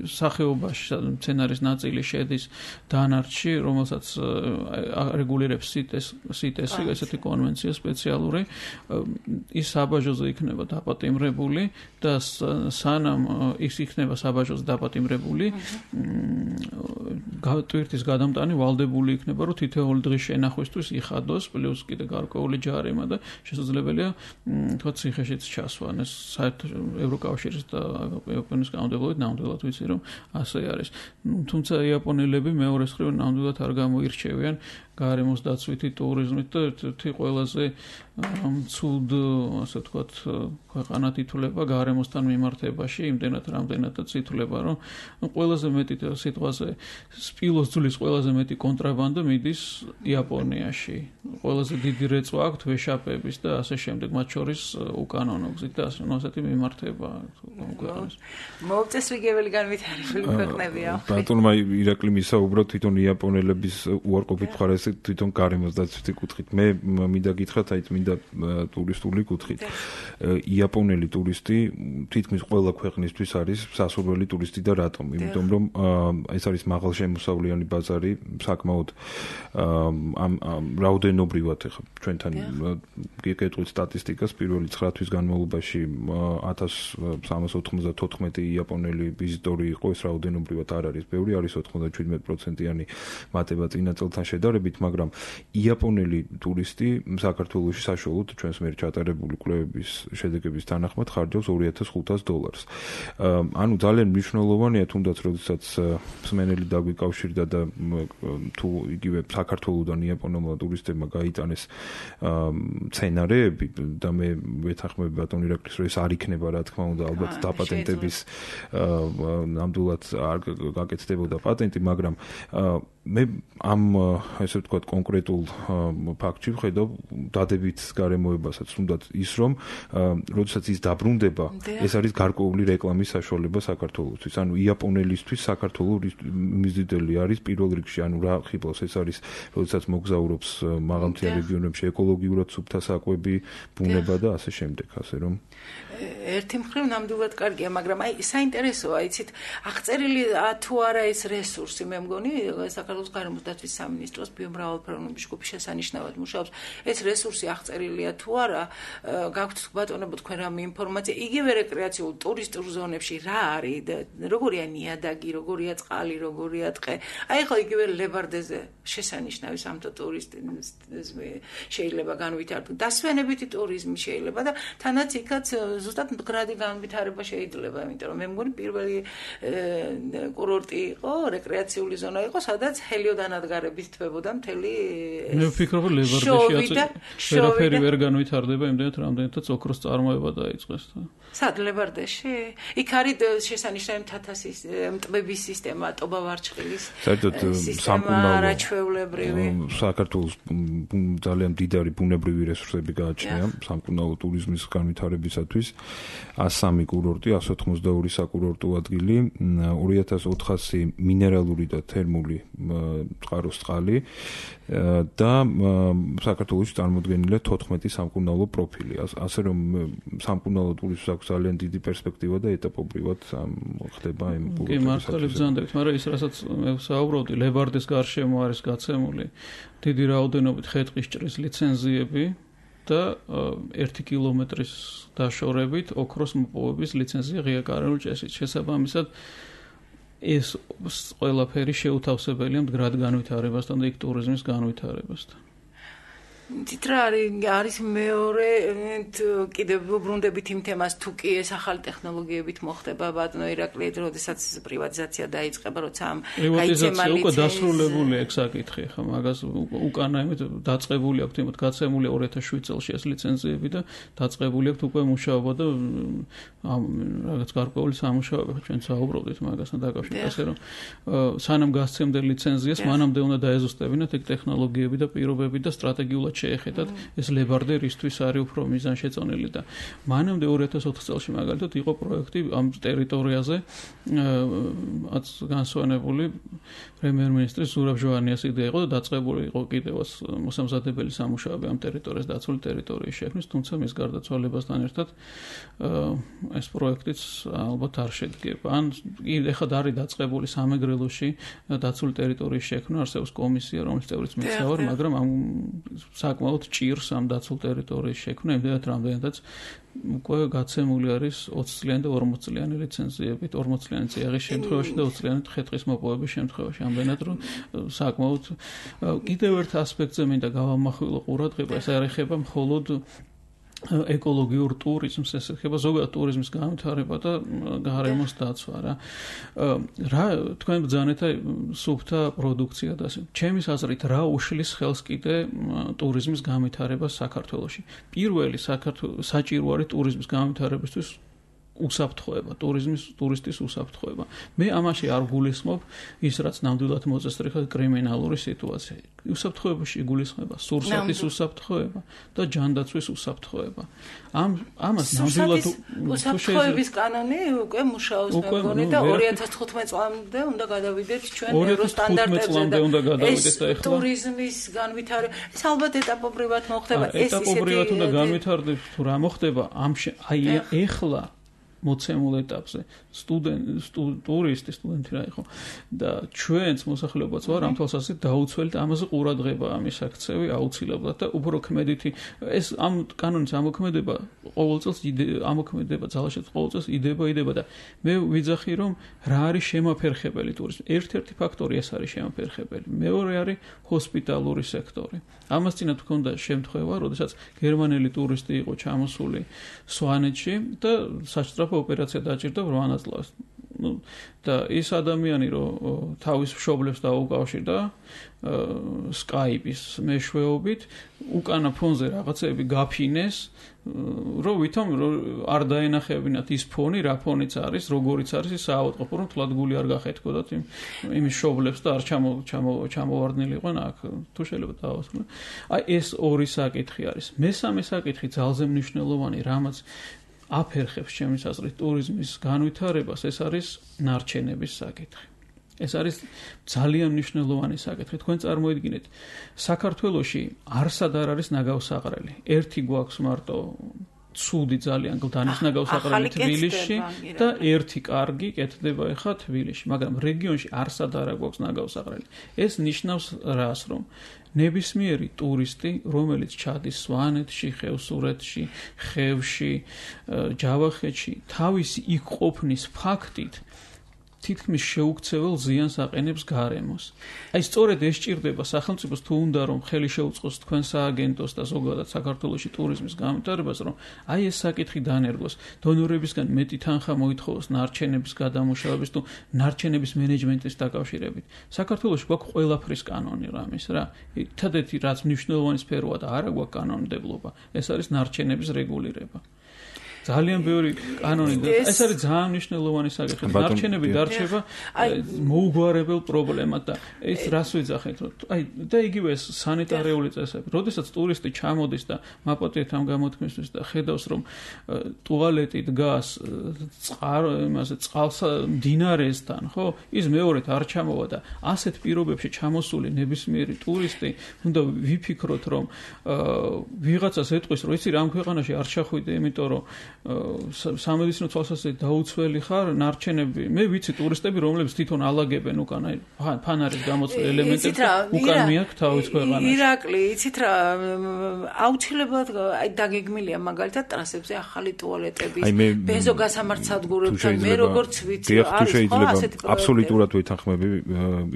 სახეობაში სცენარის ნაწილი შედის დანარჩი, რომელსაც რეგულირებს სიტეს სიტესი, ესეთი კონვენცია სპეციალური, ის საბაჟოზე იქნება დაპატიმრებული და სანამ ის იქნება საბაჟოზე დაპატიმრებული, ტვირთის გადამტანი ვალდებული იქნება, რომ თითოეული დღის შენახვისთვის იხადოს, პლუს კიდე გარკვეული ჯარიმა და შესაძლებელია თქვა ციხეშიც ჩასვა. ეს საერთოდ ევროკავშირის და იაპონიის კანონმდებლობით ნამდვილად ვიცი რომ ასე არის. თუმცა იაპონელები მეორეს მხრივ ნამდვილად არ გამოირჩევიან გარემოს დაცვითი ტურიზმით და ერთ-ერთი ყველაზე ცუდ, ასე ვთქვათ, ქვეყანად ითვლება გარემოსთან მიმართებაში, იმდენად რამდენადაც ითვლება, რომ ყველაზე მეტ მეტი სიტყვაზე სპილოს ძვლის ყველაზე მეტი კონტრაბანდო მიდის იაპონიაში. ყველაზე დიდი რეწვა აქვთ ვეშაპების და ასე შემდეგ, მათ შორის უკანონო გზით და ასე ასეთი მიმართება ქვეყნებს. მოუწესრიგებელი განვითარებული ქვეყნებია. ბატონმა ირაკლი მისაუბრა თვითონ იაპონელების უარყოფით მხარეს თვითონ გარემოს დაცვითი კუთხით. მე მინდა გითხრათ, აი მინდა ტურისტული კუთხით. იაპონელი ტურისტი თითქმის ყველა ქვეყნისთვის არის სასურველი ტურისტი და რატომ? იმიტომ რომ ეს არის მაღალშემოსავლიანი ბაზარი, საკმაოდ ამ რაოდენობრივად ახლა ჩვენთან გეკეთვით სტატისტიკას პირველი ცხრა თვის განმავლობაში ათას სამას ოთხმოცდათოთხმეტი იაპონელი ვიზიტორი იყო, ეს რაოდენობრივად არ არის ბევრი, არის ოცდაშვიდმეტი პროცენტიანი მატება წინა წელთან შედარებით, მაგრამ იაპონელი ტურისტი საქართველოში საშუალოდ ჩვენს მიერ ჩატარებული კვლევების შედეგების თანახმად ხარჯავს ორი ათას ხუთას დოლარს. ანუ ძალიან მნიშვნელოვანია, თუნდაც როდესაც მსმენელი დაგვიკავშირდა და თუ იგივე საქართველოდან იაპონელმა ტურისტებმა გაიტანეს სცენარეები და მე ვეთანხმები ბატონ ირაკლის, რომ ეს არ იქნება, რა თქმა უნდა, ალბათ დაპატენტების ნამდვილად არ გაკეთდებოდა პატენტი, მაგრამ მე ამ ესე ვთქვათ კონკრეტულ ფაქტში ვხედავ დადებით გარემოებასაც, თუნდაც ის რომ როდესაც ის დაბრუნდება, ეს არის გარკვეული რეკლამის საშუალება საქართველოსთვის. ანუ იაპონელისთვის საქართველოს მიზიდელი არის პირველ რიგში, ანუ რა ხიბლავს, ეს არის როდესაც მოგზაურობს მაღალმთიან რეგიონებში, ეკოლოგიურად სუფთა საკვები, ბუნება და ასე შემდეგ, ასე რომ ერთი მხრივ ნამდვილად კარგია, მაგრამ აი საინტერესოა, იცით, აღწერილი თუ არა ეს რესურსი, მე მგონი საქართველოს გარემოს დაცვის სამინისტროს ბიომრავალფეროვნების ჯგუფი შესანიშნავად მუშაობს. ეს რესურსი აღწერილია თუ არა, გაქვთ ბატონებო თქვენ რამე ინფორმაცია, იგივე რეკრეაციულ ტურისტულ ზონებში რა არის, როგორია ნიადაგი, როგორია წყალი, როგორია ტყე. აი ხო იგივე ლებარდეზე შესანიშნავი სამთო ტურისტიზმი შეიძლება განვითარდეს. დასვენებითი ტურიზმი შეიძლება და თანაც იქაც ზუსტად მდგრადი განვითარება შეიძლება, იმიტომ რომ მე მგონი პირველი კურორტი იყო, რეკრეაციული ზონა იყო, სადაც ჰელიოდანადგარებით თვებოდა მთელი მე ვფიქრობ, რომ ლებარდეში ვერაფერი ვერ განვითარდება, იმდენად რამდენადაც ოქროს წარმოება დაიწყეს. სად ლებარდეში? იქ არის შესანიშნავი მთათასის მტბების სისტემა, ტობა-ვარჩხილის სისტემა, არაჩვეულებრივი. საქართველოს ძალიან დიდარი ბუნებრივი რესურსები გააჩნია სამკურნალო ტურიზმის განვითარებისათვის. ას სამი კურორტი, ას ოთხმოცდაორი საკურორტო ადგილი, ორი ათას ოთხასი მინერალური და თერმული წყაროს წყალი და საქართველოში წარმოდგენილია თოთხმეტი სამკურნალო პროფილი. ასე რომ სამკურნალო ტურიზმს აქვს ძალიან დიდი პერსპექტივა და ეტაპობრივად ხდება იმ კურორტების. კი, მართალი ბრძანდებით, მაგრამ ის რასაც მე ვსაუბრობდი, ლებარდეს გარშემო არის გაცემული დიდი რაოდენობით ხე-ტყისჭრის ლიცენზიები და ერთი კილომეტრის დაშორებით ოქროს მოპოვების ლიცენზია ღია კარენულ წესით. შესაბამისად ეს ყველაფერი შეუთავსებელია მდგრად განვითარებასთან და იქ ტურიზმის განვითარებასთან. თითრა არის მეორე კიდევ ვუბრუნდებით იმ თემას, თუ კი ეს ახალი ტექნოლოგიებით მოხდება ბატონო ირაკლი, როდესაც პრივატიზაცია დაიწყება, როცა ამ პრივატიზაცია უკვე დასრულებულია, ეგ საკითხი, ხა მაგას უკანა იმით დაწყებული აქვს, იმით გაცემული ორი ათას შვიდ წელს ეს ლიცენზიები და დაწყებული აქვს უკვე მუშაობა და ამ რაღაც გარკვეული სამუშაოები, ჩვენ საუბრობდით მაგასთან დაკავშირებით, ასე რომ სანამ გასცემდა ლიცენზიას, მანამდე უნდა დაეზუსტებინათ ეგ ტექნოლოგიები და პირობები და სტრატეგიულად შეეხედათ ეს ლებარდე რისთვის არის უფრო მიზანშეწონილი და მანამდე ორი ათას ოთხ წელს მაგალითად იყო პროექტი ამ ტერიტორიაზე განსვენებული პრემიერ-მინისტრის ზურაბ ჟოვანიას იდეა იყო და დაწყებული იყო კიდევაც მოსამზადებელი სამუშაოები ამ ტერიტორიას დაცული ტერიტორიის შექმნის, თუმცა მის გარდაცვალებასთან ერთად ეს პროექტიც ალბათ არ შედგება. ან ეხლა არის დაწყებული სამეგრელოში დაცული ტერიტორიის შექმნა, არსებობს კომისია, რომლის წევრიც მეც ვარ, მაგრამ ამ საკმაოდ ჭირს ამ დაცულ ტერიტორიის შექმნა, იმდენად რამდენადაც უკვე გაცემული არის ოცი წლიანი და ორმოც წლიანი ლიცენზიებით, ორმოც წლიანი წიაღის შემთხვევაში და ოცი წლიანი ხე-ტყის მოპოვების შემთხვევაში. ამდენად რომ საკმაოდ კიდევ ერთ ასპექტზე მინდა გავამახვილო ყურადღება, ეს არ ეხება მხოლოდ ეკოლოგიურ ტურიზმს, ეს ეხება ზოგადად ტურიზმის განვითარება და გარემოს დაცვა რა. რა თქვენ ბრძანეთ სუფთა პროდუქცია და ასე. ჩემის აზრით რა უშლის ხელს კიდე ტურიზმის განვითარებას საქართველოში. პირველი საქართველოს საჭირო არის ტურიზმის განვითარებისთვის უსაფრთხოება, ტურიზმის ტურისტის უსაფრთხოება. მე ამაში არ გულისხმობ ის რაც ნამდვილად მოწესრიგა კრიმინალური სიტუაცია. უსაფრთხოებაში იგულისხმება სურსათის უსაფრთხოება და ჯანდაცვის უსაფრთხოება. ამ ამას ნამდვილად უსაფრთხოების კანონი უკვე მუშაობს მე მგონი და ორი ათას თხუთმეტ წლამდე უნდა გადავიდეთ ჩვენ ევროსტანდარტებზე და უნდა გადავიდეთ და ეხლა ტურიზმის განვითარება ეს ალბათ ეტაპობრივად მოხდება ეს ისეთი ეტაპობრივად უნდა განვითარდეს თუ რა მოხდება ამ აი ეხლა მოცემულ ეტაპზე სტუდენტ ტურისტი სტუდენტი რა იყო და ჩვენც მოსახლეობაც ვარ ამ თვალსაზრისით დაუცველთ ამაზე ყურადღება ამის აქცევი აუცილებლად და უფრო ქმედითი ეს ამ კანონის ამოქმედება ყოველ წელს ამოქმედება ძალაშეც ყოველ წელს იდება იდება და მე ვიძახი რომ რა არის შემაფერხებელი ტურიზმი ერთ-ერთი ფაქტორი ეს არის შემაფერხებელი მეორე არის ჰოსპიტალური სექტორი ამას წინათ ჰქონდა შემთხვევა როდესაც გერმანელი ტურისტი იყო ჩამოსული სვანეთში და საჭრაფო ოპერაცია დაჭირდა ბრმანაწლავს. ნუ და ის ადამიანი რომ თავის მშობლებს დაუკავშირდა Skype-ის მეშვეობით უკანა ფონზე რაღაცები გაფინეს რომ ვითომ არ დაენახებინათ ის ფონი რა ფონიც არის როგორიც არის ის საავადმყოფო რომ თლად გული არ გახეთქოდათ იმ იმის მშობლებს და არ ჩამო ჩამოვარდნილიყვენ აქ თუ შეიძლება დავასრულო აი ეს ორი საკითხი არის მესამე საკითხი ძალზე მნიშვნელოვანი რამაც აფერხებს ჩემის აზრით ტურიზმის განვითარებას ეს არის ნარჩენების საკითხი. ეს არის ძალიან მნიშვნელოვანი საკითხი. თქვენ წარმოიდგინეთ, საქართველოში არსად არ არის ნაგავსაყრელი. ერთი გვაქვს მარტო ცუდი ძალიან გლდანის ნაგავსაყრელი თბილისში და ერთი კარგი კეთდება ახლა თბილისში, მაგრამ რეგიონში არსად არ გვაქვს ნაგავსაყრელი. ეს ნიშნავს რას, რომ ნებისმიერი ტურისტი, რომელიც ჩადის სვანეთში, ხევსურეთში, ხევში, ჯავახეთში, თავისი იქ ყოფნის ფაქტით თითქმის შეუქცეველ ზიანს აყენებს გარემოს. აი სწორედ ეს ჭირდება სახელმწიფოს თუ უნდა რომ ხელი შეუწყოს თქვენ სააგენტოს და ზოგადად საქართველოში ტურიზმის განვითარებას, რომ აი ეს საკითხი დანერგოს, დონორებისგან მეტი თანხა მოითხოვოს ნარჩენების გადამუშავების თუ ნარჩენების მენეჯმენტის დაკავშირებით. საქართველოში გვაქვს ყველაფრის კანონი რამის რა. ერთადერთი რაც მნიშვნელოვანი სფეროა და არა გვაქვს კანონმდებლობა, ეს არის ნარჩენების რეგულირება. ძალიან ბევრი კანონი და ეს არის ძალიან მნიშვნელოვანი საკითხი. ნარჩენები დარჩება მოუგვარებელ პრობლემად და ეს რას ვიძახეთ, რომ აი და იგივე ეს სანიტარიული წესები. როდესაც ტურისტი ჩამოდის და მაპატიეთ ამ გამოთქმისთვის და ხედავს რომ ტუალეტი დგას წყარ იმაზე წყალს მდინარესთან, ხო? ის მეორედ არ ჩამოვა და ასეთ პირობებში ჩამოსული ნებისმიერი ტურისტი უნდა ვიფიქროთ რომ ვიღაცას ეტყვის რომ იცი რა ამ ქვეყანაში არ ჩახვიდე, იმიტომ რომ სამედიცინო თვალსაზრისით დაუცველი ხარ ნარჩენები მე ვიცი ტურისტები რომლებიც თვითონ ალაგებენ უკან აი ფანარის გამოცდილ ელემენტებს უკან მიაქვს თავის ქვეყანაში ირაკლი იცით რა აუცილებლად აი დაგეგმილია მაგალითად ტრასებზე ახალი ტუალეტების ბენზო გასამართსადგურებთან მე როგორც ვიცი არის ხო ასეთი აბსოლუტურად ვეთანხმები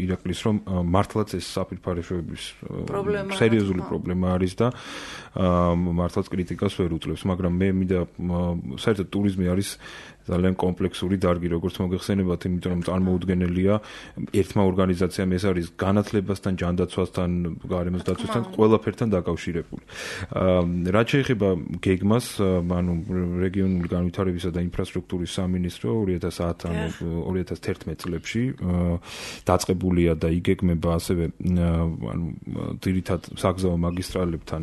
ირაკლის რომ მართლაც ეს საფირფარეშოების სერიოზული პრობლემა არის და მართლაც კრიტიკას ვერ უწევს მაგრამ მე მინდა საერთოდ ტურიზმი არის ძალიან კომპლექსური დარგი როგორც მოგეხსენებათ იმიტომ რომ წარმოუდგენელია ერთმა ორგანიზაციამ ეს არის განათლებასთან ჯანდაცვასთან გარემოს დაცვასთან ყველაფერთან დაკავშირებული რაც შეეხება გეგმას ანუ რეგიონული განვითარებისა და ინფრასტრუქტურის სამინისტრო ორი ათას ათი ანუ ორი ათას თერთმეტ წლებში დაწყებულია და იგეგმება ასევე ანუ ძირითად საგზაო მაგისტრალებთან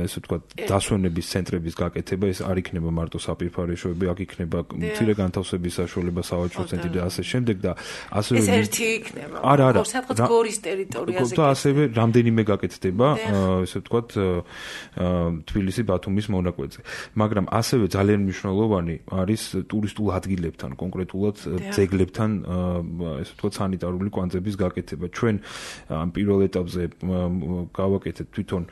ესე ვთქვათ დასვენების ცენტრების გაკეთება ეს არ იქნება მარტო საფირფარეშოები აქ იქნება მცირე განთავსების საშუალება სავაჭრო ცენტრი და ასე შემდეგ და ასევე ეს ერთი იქნება არა არა სადღაც გორის ტერიტორიაზე და ასევე რამდენიმე გაკეთდება ესე ვთქვათ თბილისი ბათუმის მონაკვეთზე მაგრამ ასევე ძალიან მნიშვნელოვანი არის ტურისტულ ადგილებთან კონკრეტულად ძეგლებთან ესე ვთქვათ სანიტარული კვანძების გაკეთება ჩვენ ამ პირველ ეტაპზე გავაკეთეთ თვითონ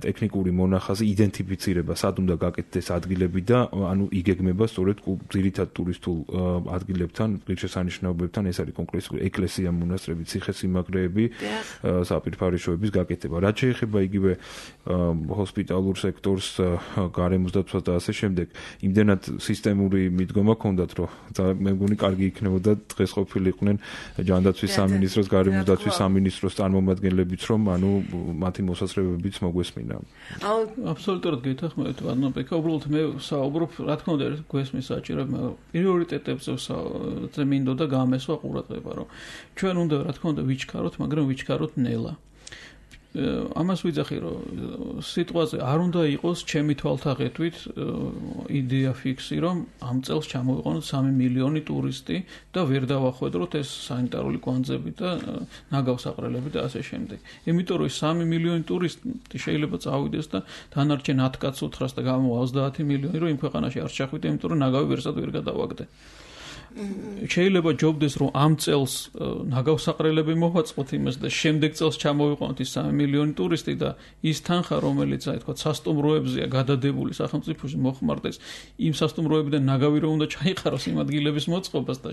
ტექნიკური მონახაზი იდენტიფიცირება სად უნდა გაკეთდეს ადგილები და ანუ იგეგმება სწორედ ძირითად ტურისტულ ადგილებთან, ღირსშესანიშნაობებთან, ეს არის კონკრეტულად ეკლესია, მონასტრები, ციხესიმაგრეები, საფირფარეშოების გაკეთება. რაც შეეხება იგივე ჰოსპიტალურ სექტორს, გარემოს დაცვას და ასე შემდეგ, იმდენად სისტემური მიდგომა ჰქონდათ, რომ მე მგონი კარგი იქნებოდა დღეს ყოფილიყვნენ ჯანდაცვის სამინისტროს, გარემოს დაცვის სამინისტროს წარმომადგენლებიც, რომ ანუ მათი მოსაზრებებიც მოგვესმინა. აბსოლუტურად გეთანხმებით, ანუ ბექა უბრალოდ მე საუბრობ, რა თქმა უნდა, გვესმის საჭიროება, მაგრამ პრიორიტეტებზე მინდოდა გამესვა ყურადღება, რომ ჩვენ უნდა რა თქმა უნდა ვიჩქაროთ, მაგრამ ვიჩქაროთ ნელა. ამას ვიძახი, რომ სიტყვაზე არ უნდა იყოს ჩემი თვალთაღეთვით იდეა ფიქსი, რომ ამ წელს ჩამოვიყვანოთ სამი მილიონი ტურისტი და ვერ დავახვედროთ ეს სანიტარული კვანძები და ნაგავსაყრელები და ასე შემდეგ. იმიტომ რომ სამი მილიონი ტურისტი შეიძლება წავიდეს და დანარჩენ ათ კაცს უთხრას და გამოვა ოცდაათი მილიონი, რომ იმ ქვეყანაში არ ჩახვიდე, იმიტომ რომ ნაგავი ვერსად ვერ გადავაგდე. შეიძლება ჯობდეს რომ ამ წელს ნაგავსაყრელები მოვაწყოთ იმას და შემდეგ წელს ჩამოვიყვანოთ ის სამი მილიონი ტურისტი და ის თანხა რომელიც აი თქვა სასტუმროებზეა გადადებული სახელმწიფოში მოხმარდეს იმ სასტუმროებიდან ნაგავი რომ უნდა ჩაიყაროს იმ ადგილების მოწყობას და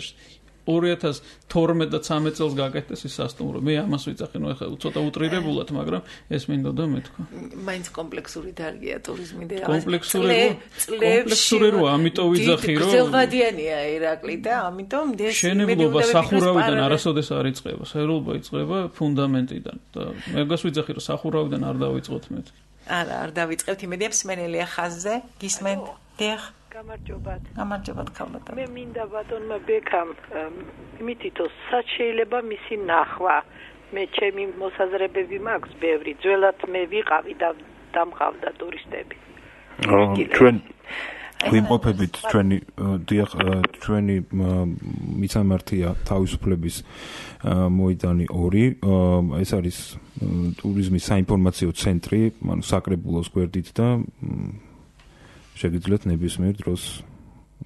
ორი ათას თორმეტ და ცამეტ წელს გაკეთდეს ის სასტუმრო. მე ამას ვიძახი, ნუ ეხლა ცოტა უტრირებულად, მაგრამ ეს მინდოდა მეთქვა. მაინც კომპლექსური დარგია ტურიზმი და კომპლექსური კომპლექსური რო ამიტომ ვიძახი, რომ გრძელვადიანია ირაკლი და ამიტომ მშენებლობა სახურავიდან არასოდეს არ იწყება, საერთოდ იწყება ფუნდამენტიდან და მეგას ვიძახი, რომ სახურავიდან არ დავიწყოთ მე. არა, არ დავიწყებთ, იმედია მსმენელია ხაზზე, გისმენთ? დიახ. გამარჯობათ. გამარჯობათ, ქალბატონო. მე მინდა ბატონმა ბექამ იმითითო სად შეიძლება მისი ნახვა. მე ჩემი მოსაზრებები მაქვს ბევრი. ძველად მე ვიყავი და დამყავდა ტურისტები. ჩვენ ვიმყოფებით ჩვენი დიახ ჩვენი მიცამართია თავისუფლების მოედანი ორი. ეს არის ტურიზმის საინფორმაციო ცენტრი, ანუ საკრებულოს გვერდით და შეგიძლიათ ნებისმიერ დროს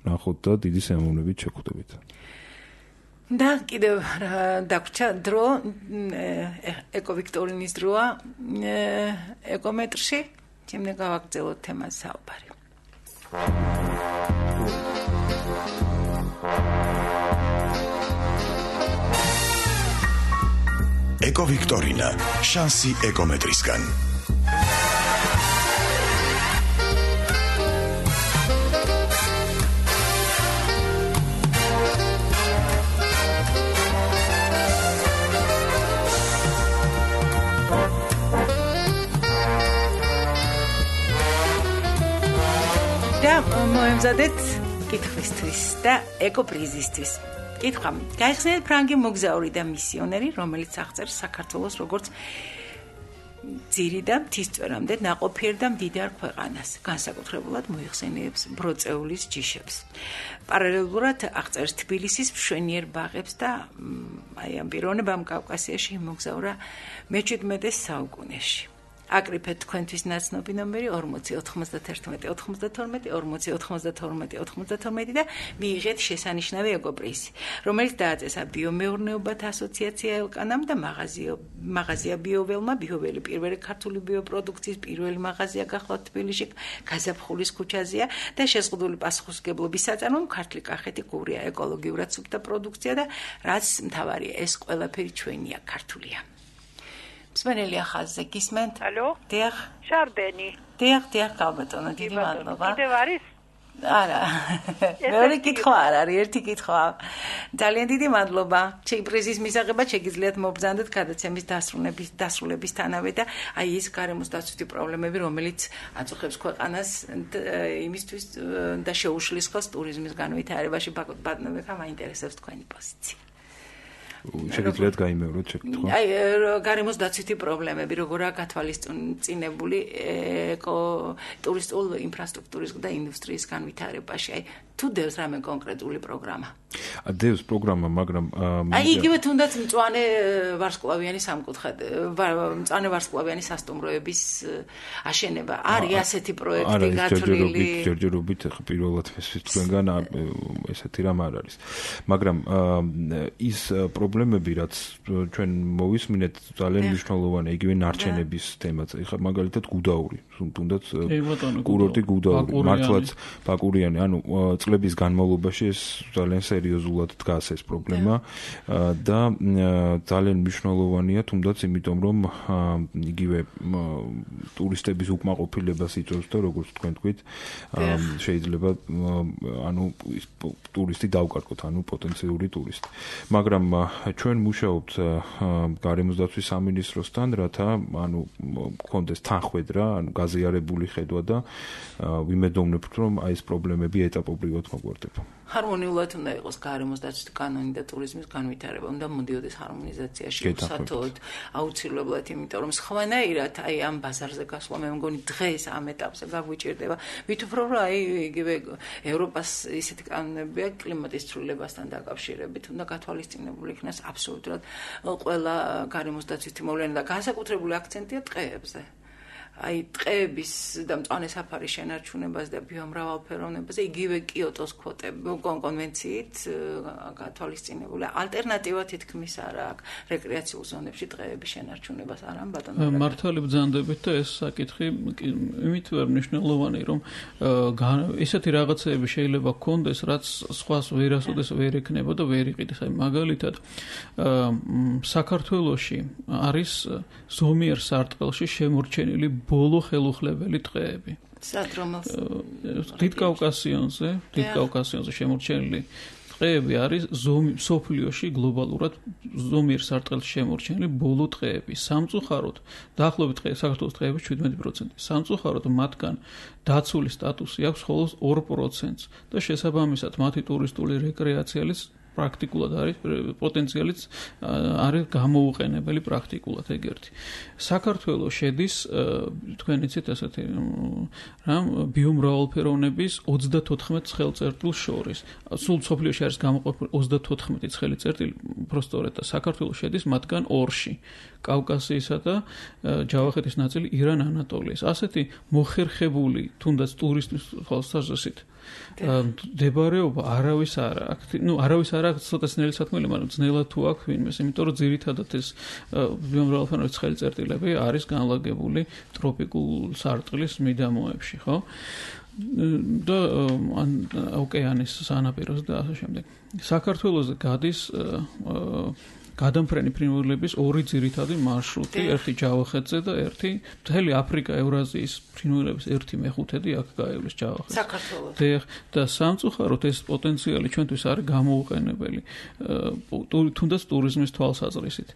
ნახოთ და დიდი სიამოვნებით შეგხვდებით. და კიდევ დაგვრჩა დრო ეკოვიქტორინის დროა ეკომეტრში, შემდეგ გავაგრძელოთ თემას საუბარი. ეკოვიქტორინა, შანსი ეკომეტრისგან. მოემზადეთ კითხვისთვის და ეკოპრიზისთვის. კითხვა: გაიხსენეთ ფრანგი მოგზაური და მისიონერი, რომელიც აღწერს საქართველოს როგორც ძირი და მთისწვერამდე ნაყოფიერ და მდიდარ ქვეყანას, განსაკუთრებულად მოიხსენიებს ბროწეულის ჯიშებს. პარალელურად აღწერს თბილისის მშვენიერ ბაღებს და აი ამ პიროვნებამ კავკასიაში იმოგზაურა მეჩვიდმეტე საუკუნეში. აკრიფეთ თქვენთვის ნაცნობი ნომერი ორმოცი ოთხმოცდათერთმეტი ოთხმოცდათორმეტი ორმოცი ოთხმოცდათორმეტი ოთხმოცდათორმეტი და მიიღეთ შესანიშნავი ეკოპრიზი, რომელიც დააწესა ბიომეურნეობათა ასოციაცია ელკანამ და მაღაზია ბიოველმა. ბიოველი პირველი ქართული ბიოპროდუქციის პირველი მაღაზია გახლავთ თბილისში, გაზაფხულის ქუჩაზეა და შეზღუდული პასუხისმგებლობის საწარმომ ქართლი კახეთი გურია, ეკოლოგიურად სუფთა პროდუქცია და რაც მთავარია, ეს ყველაფერი ჩვენია, ქართულია. მსმენელია ხაზზე, გისმენთ? ალო? დიახ. შარდენი. დიახ, დიახ, ქალბატონო, დიდი მადლობა. კიდევ არის? არა. მეორე კითხვა არ არის, ერთი კითხვა. ძალიან დიდი მადლობა. პრიზის მისაღებად შეგიძლიათ მობრძანდეთ გადაცემის დასრულების დასრულებისთანავე და აი ეს გარემოს დაცვითი პრობლემები, რომელიც აწუხებს ქვეყანას იმისთვის და შეუშლის ხელს ტურიზმის განვითარებაში. ბატონებმა მაინტერესებს თქვენი პოზიცია. შეგიძლიათ გაიმეოროთ შეკითხვა. აი გარემოს დაცვითი პრობლემები, როგორაა გათვალისწინებული ეკო ტურისტულ ინფრასტრუქტურის და ინდუსტრიის განვითარებაში. აი თუ დევს რამე კონკრეტული პროგრამა. დევს პროგრამა, მაგრამ აი იგივე თუნდაც მწვანე ვარსკვლავიანი სამკუთხედ, მწვანე ვარსკვლავიანი სასტუმროების აშენება. არის ასეთი პროექტი გათვლილი? ჯერჯერობით ხა პირველად თქვენგან ესეთი რამ არ არის. მაგრამ ის პრობლემები, რაც ჩვენ მოვისმინეთ, ძალიან მნიშვნელოვანია, იგივე ნარჩენების თემაც. ეხლა მაგალითად გუდაური, თუნდაც კურორტი გუდაური, მართლაც ბაკურიანი, ანუ წლების განმავლობაში ეს ძალიან სერიოზულად დგას ეს პრობლემა და ძალიან მნიშვნელოვანია, თუნდაც იმიტომ, რომ იგივე ტურისტების უკმაყოფილებას იწვევს და როგორც თქვენ თქვით, შეიძლება ანუ ტურისტი დავკარგოთ, ანუ პოტენციური ტურისტი. მაგრამ ჩვენ მუშაობთ გარემოსდაცვის სამინისტროსთან, რათა ანუ კონდეს თანხwebdriver, ანუ გაზიარებული ხედვა და ვიმედოვნებთ, რომ აი ეს პრობლემები ეტაპობრივად მოგვარდება. ჰარმონიულად უნდა იყოს გარემოსდაცვის კანონი და ტურიზმის განვითარება, უნდა მოდიოდეს ჰარმონიზაციაში უსათოდ, აუცილებლად, იმიტომ რომ სხვანაირად აი ამ ბაზარზე გასვლა მე მგონი დღეს ამ ეტაპზე გაგვიჭირდება. ვით უფრო რომ აი იგივე ევროპას ისეთი კანონებია კლიმატის ცვლილებასთან დაკავშირებით, უნდა გათვალისწინებული იქნას აბსოლუტურად ყველა გარემოსდაცვის თემოვანი და განსაკუთრებული აქცენტია ტყეებზე. აი ტყეების და მწვანე საფარის შენარჩუნებას და ბიომრავალფეროვნებაზე იგივე კიოტოს კონვენციით გათვალისწინებული ალტერნატივა თითქმის არ აქვს რეკრეაციულ ზონებში ტყეების შენარჩუნებას არ ამ ბატონო მართალი ბრძანდებით და ეს საკითხი იმით ვერ მნიშვნელოვანი რომ ესეთი რაღაცეები შეიძლება გქონდეს რაც სხვას ვერასოდეს ვერ ექნება და ვერ იყიდეს აი მაგალითად საქართველოში არის ზომიერ სარტყელში შემორჩენილი ბოლო ხელუხლებელი ტყეები. სად რომელს? დიდ კავკასიონზე, დიდ კავკასიონზე შემორჩენილი ტყეები არის სოფლიოში გლობალურად ზომიერ სარტყელში შემორჩენილი ბოლო ტყეები. სამწუხაროდ, დაახლოებით საქართველოს ტყეების შვიდმეტი პროცენტი. სამწუხაროდ მათგან დაცული სტატუსი აქვს მხოლოდ ორ პროცენტს და შესაბამისად მათი ტურისტული რეკრეაციალის პრაქტიკულად არის პოტენციალიც არის გამოუყენებელი პრაქტიკულად ეგერთი. საქართველოს შედის თქვენ იცით ასეთი რამ ბიომრავალფეროვნების ოცდათოთხმეტ ხელწერტილს შორის. სულ სოფლიოში არის გამოყოფილი ოცდათოთხმეტი ხელწერტილი, უბრალოდ და საქართველოს შედის მათგან ორში. კავკასიისა და ჯავახეთის ნაწილი ირან ანატოლიის. ასეთი მოხერხებული თუნდაც ტურისტის თვალსაზრისით დებარეობა არავის არ აქვს. ნუ არავის არ აქვს ცოტა ძნელი საქმეა, მაგრამ ძნელად თუ აქვს ვინმეს, იმიტომ რომ ძირითადად ეს ბიომრავალფეროვნების ხელწერტილები არის განლაგებული ტროპიკულ სარტყლის მიდამოებში, ხო? და ოკეანის სანაპიროს და ასე შემდეგ. საქართველოს გადის გადამფრენი ფრინველების ორი ძირითადი მარშრუტი, ერთი ჯავახეთზე და ერთი მთელი აფრიკა, ევრაზიის ფრინველების ერთი მეხუთედი აქ გაივლის ჯავახეთს. საქართველოს. და სამწუხაროდ ეს პოტენციალი ჩვენთვის არის გამოუყენებელი, თუნდაც ტურიზმის თვალსაზრისით.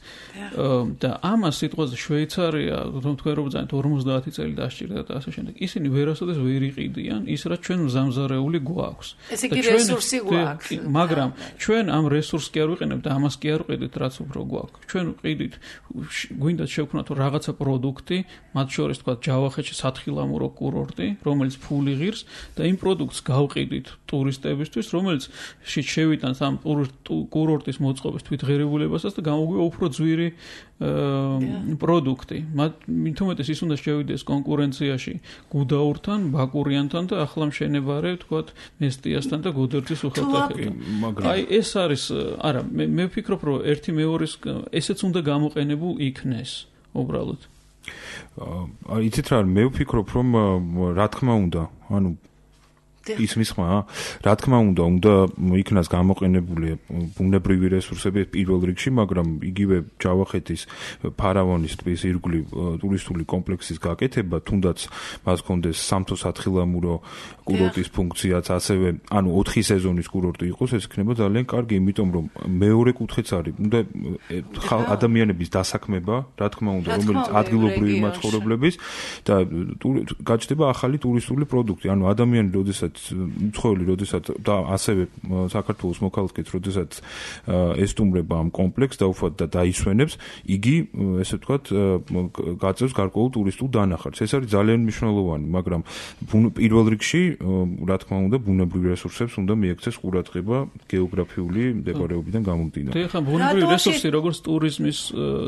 და ამას სიტყვაზე შვეიცარია, თქვენ რო ბრძანეთ ორმოცდაათი წელი დასჭირდა და ასე შემდეგ. ისინი ვერასოდეს ვერ იყიდიან ის, რაც ჩვენ მზამზარეული გვაქვს. ეს იგი რესურსი გვაქვს. მაგრამ ჩვენ ამ რესურსს კი არ ვიყენებთ და ამას კი არ ვყიდით, რაც უფრო გვაქვს. ჩვენ ვყიდით, გვინდათ შევქმნათ რაღაცა პროდუქტი, მათ შორის თქვა ჯავახეთში სათხილამურო კურორტი, რომელიც ფული ღირს და იმ პროდუქტს გავყიდით ტურისტებისთვის, რომელიც შევიტანს ამ კურორტის მოწყობის თვითღირებულებასაც და გამოგვივა უფრო ძვირი პროდუქტი. მithumetes ის უნდა შევიდეს კონკურენციაში გუდაურთან, ბაკურიანთან და ახლა მშენებარე თქვა მესტიასთან და გოდერძის უხელტეხებთან. აი ეს არის, არა, მე ვფიქრობ, რომ ერთი მეორის ესეც უნდა გამოყენებულ იქნეს უბრალოდ. აი იცით რა, მე ვფიქრობ, რომ რა თქმა უნდა, ანუ ის მისმა, რა თქმა უნდა, უნდა იქნას გამოყენებული ბუნებრივი რესურსები პირველ რიგში, მაგრამ იგივე ჯავახეთის ფარავნის ტბის ირგვლივ ტურისტული კომპლექსის გაკეთება, თუნდაც მას კონდეს სამთო სათხილამურო კურორტის ფუნქციაც, ასევე ანუ ოთხი სეზონის კურორტი იყოს, ეს იქნება ძალიან კარგი, იმიტომ რომ მეორე კუთხეც არის, უნდა ადამიანების დასაქმება, რა თქმა უნდა, რომელიც ადგილობრივი მაცხოვრებლების და გაჩნდება ახალი ტურისტული პროდუქტი, ანუ ადამიანი როდესაც უცხოელი როდესაც და ასევე საქართველოს მოქალაქეც როდესაც ესტუმრება ამ კომპლექსს და უბრალოდ და დაისვენებს, იგი ესე ვთქვათ გაწევს გარკვეულ ტურისტულ დანახარს. ეს არის ძალიან მნიშვნელოვანი, მაგრამ პირველ რიგში, რა თქმა უნდა, ბუნებრივი რესურსებს უნდა მიექცეს ყურადღება გეოგრაფიული მდებარეობიდან გამომდინარე. ეხლა ბუნებრივი რესურსი როგორც ტურიზმის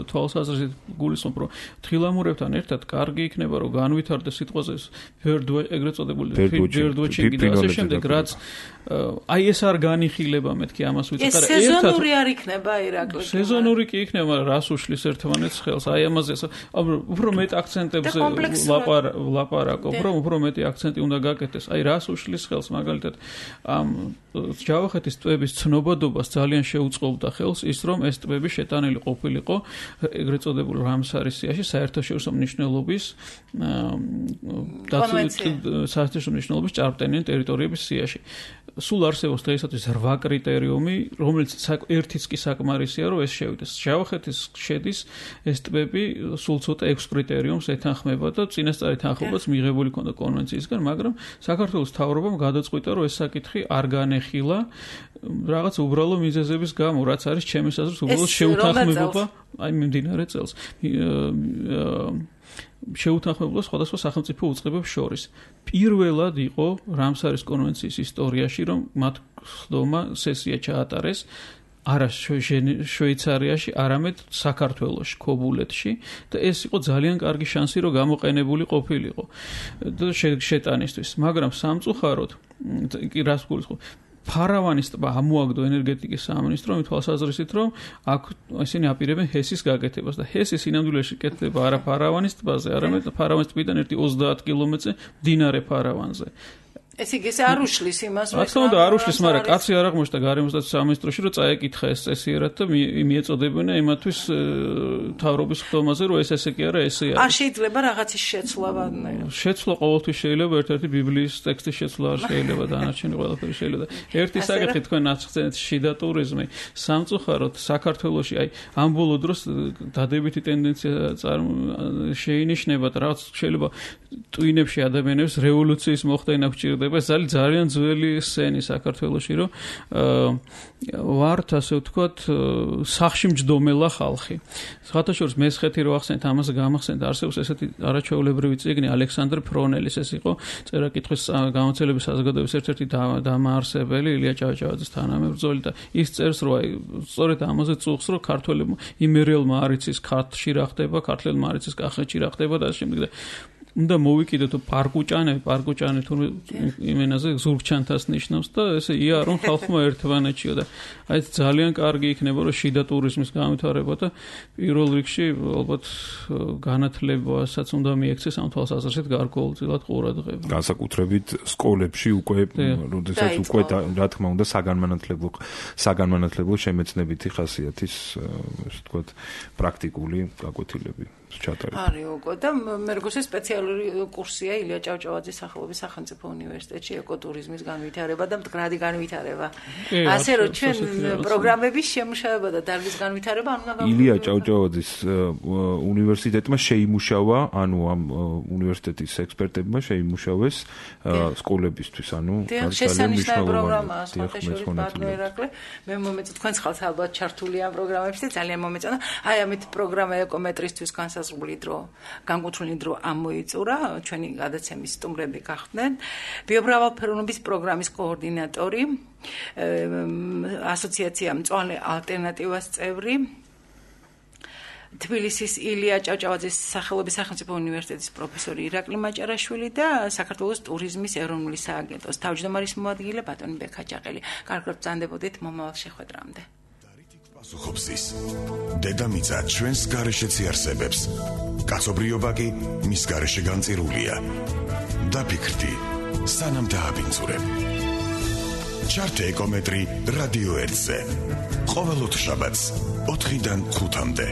თვალსაზრისით გულისხმობ, რომ თხილამურებთან ერთად კარგი იქნება, რომ განვითარდეს სიტყვაზე ბერდ ეგრეთ წოდებული ბერდ და ასე შემდეგ, რაც აი ეს არ განიხილება მეთქი ამას ვიცით, არა, ერთად სეზონური არ იქნება ირაკლი. სეზონური კი იქნება, მაგრამ რას უშლის ერთმანეთს ხელს, აი ამაზე უფრო მეტ აქცენტებზე ლაპარაკობ, რომ უფრო მეტი აქცენტი უნდა გაკეთდეს. აი რას უშლის ხელს, მაგალითად, ამ ჯავახეთის ტბების ცნობადობას ძალიან შეუწყობდა ხელს ის, რომ ეს ტბები შეტანილი ყოფილიყო ეგრეთ წოდებულ რამსარის სიაში საერთაშორისო მნიშვნელობის საერთაშორისო მნიშვნელობის ჭარბტენიან ტერიტორიების სიაში. სულ არსებობს დღეისათვის რვა კრიტერიუმი, რომელიც ერთიც კი საკმარისია, რომ ეს შევიდეს. ჯავახეთის შედის ეს ტბები სულ ცოტა ექვს კრიტერიუმს ეთანხმება და წინასწარი თანხმობაც მიღებული ქონდა კონვენციისგან, მაგრამ საქართველოს მთავრობამ გადაწყვიტა, რომ ეს საკითხი არ განეხილა რაღაც უბრალო მიზეზების გამო, რაც არის ჩემის აზრით უბრალოდ შეუთანხმებობა, აი მიმდინარე წელს. შეუთანხმებობა სხვადასხვა სახელმწიფო უწყებებს შორის. პირველად იყო რამსარის კონვენციის ისტორიაში, რომ მათ ხდომა სესია ჩაატარეს არა შვეიცარიაში, არამედ საქართველოში, ქობულეთში და ეს იყო ძალიან კარგი შანსი, რომ გამოყენებული ყოფილიყო და შეტანისთვის. მაგრამ სამწუხაროდ, კი რას გულისხმობ, ფარავანის ტბა ამოაგდო ენერგეტიკის სამინისტრომ თვალსაზრისით, რომ აქ ისინი აპირებენ ჰესის გაკეთებას და ჰესი სინამდვილეში კეთდება არა ფარავანის ტბაზე, არამედ ფარავანის ტბიდან ერთი ოცდაათ კილომეტრზე მდინარე ფარავანზე. ეს იგი არ უშლის იმას, რომ რა თქმა უნდა არ უშლის, მაგრამ კაცი არ აღმოჩნდა გარემოსდაცვის სამინისტროში, რომ წაეკითხა ეს წესიერად და მიეწოდებინა იმათთვის მთავრობის ხდომაზე, რომ ეს ესე კი არა, ესე არის. არ შეიძლება რაღაცის შეცვლა ვადნაირად. შეცვლა ყოველთვის შეიძლება, ერთ-ერთი ბიბლიის ტექსტის შეცვლა არ შეიძლება, დანარჩენი ყველაფერი შეიძლება. ერთი საკითხი თქვენ ახსენეთ შიდა ტურიზმი. სამწუხაროდ საქართველოში აი ამ ბოლო დროს დადებითი ტენდენცია შეინიშნება და რაღაც შეიძლება ტვინებში ადამიანებს რევოლუციის მოხდენა გჭირდება. ეს არის ძალიან ძველი სცენი საქართველოში, რომ ვართ ასე ვთქვათ სახში მჯდომელა ხალხი. სხვათაშორის მესხეთი რო ახსენეთ, ამას გამახსენეთ, არსებობს ესეთი არაჩვეულებრივი წიგნი ალექსანდრ ფრონელის, ეს იყო წერა-კითხვის გამოცდილების საზოგადოების ერთ-ერთი დამაარსებელი ილია ჭავჭავაძის თანამებრძოლი და ის წერს, რომ აი სწორედ ამაზე წუხს, რომ ქართველებმა იმერიელმა არ იცის ქართლში რა ხდება, ქართველებმა არ იცის კახეთში რა ხდება და ასე შემდეგ და უნდა მოვიკიდოთ პარკუჭანები, პარკუჭანი თურმე იმენაზე ზურგჩანთას ნიშნავს და ესე იარონ ხალხმა ერთმანეთშიო და აი ძალიან კარგი იქნება, რომ შიდა ტურიზმის განვითარება და პირველ რიგში ალბათ განათლებასაც უნდა მიექცეს ამ თვალსაზრისით გარკვეულწილად ყურადღება. განსაკუთრებით სკოლებში უკვე, როდესაც უკვე რა თქმა უნდა საგანმანათლებლო საგანმანათლებლო შემეცნებითი ხასიათის, ასე ვთქვათ, პრაქტიკული გაკვეთილები ჩატარება. არის უკვე და მე როგორც სპეციალური კურსია ილია ჭავჭავაძის სახელობის სახელმწიფო უნივერსიტეტში ეკოტურიზმის განვითარება და მდგრადი განვითარება. ასე რომ ჩვენ პროგრამების შემუშავება და დარგის განვითარება არ უნდა გავაკეთოთ. ილია ჭავჭავაძის უნივერსიტეტმა შეიმუშავა, ანუ ამ უნივერსიტეტის ექსპერტებმა შეიმუშავეს სკოლებისთვის, ანუ ძალიან მნიშვნელოვანი პროგრამაა, სხვადასხვა ბატონო ერაკლე. მე მომეწონა თქვენს ხალხს ალბათ ჩართული ამ პროგრამებში და ძალიან მომეწონა. აი ამით პროგრამა ეკომეტრისთვის განსაზღვრული დრო, განკუთვნილი დრო ამოიწურა, ჩვენი გადაცემის სტუმრები გახდნენ. ბიომრავალფეროვნების პროგრამის კოორდინატორი, ასოციაცია მწვანე ალტერნატივას წევრი, თბილისის ილია ჭავჭავაძის სახელობის სახელმწიფო უნივერსიტეტის პროფესორი ირაკლი მაჭარაშვილი და საქართველოს ტურიზმის ეროვნული სააგენტოს თავმჯდომარის მოადგილე ბატონი ბექა ჭაყელი. კარგად ბრძანდებოდით მომავალ შეხვედრამდე. პასუხობს დედამიწა ჩვენს გარეშეც იარსებებს. კაცობრიობა კი მის გარეშე განწირულია. დაფიქრდი, სანამ დააბინძურებ. ჩართე ეკომეტრი რადიო ერთზე. ყოველ ოთხშაბათს ოთხიდან ხუთამდე.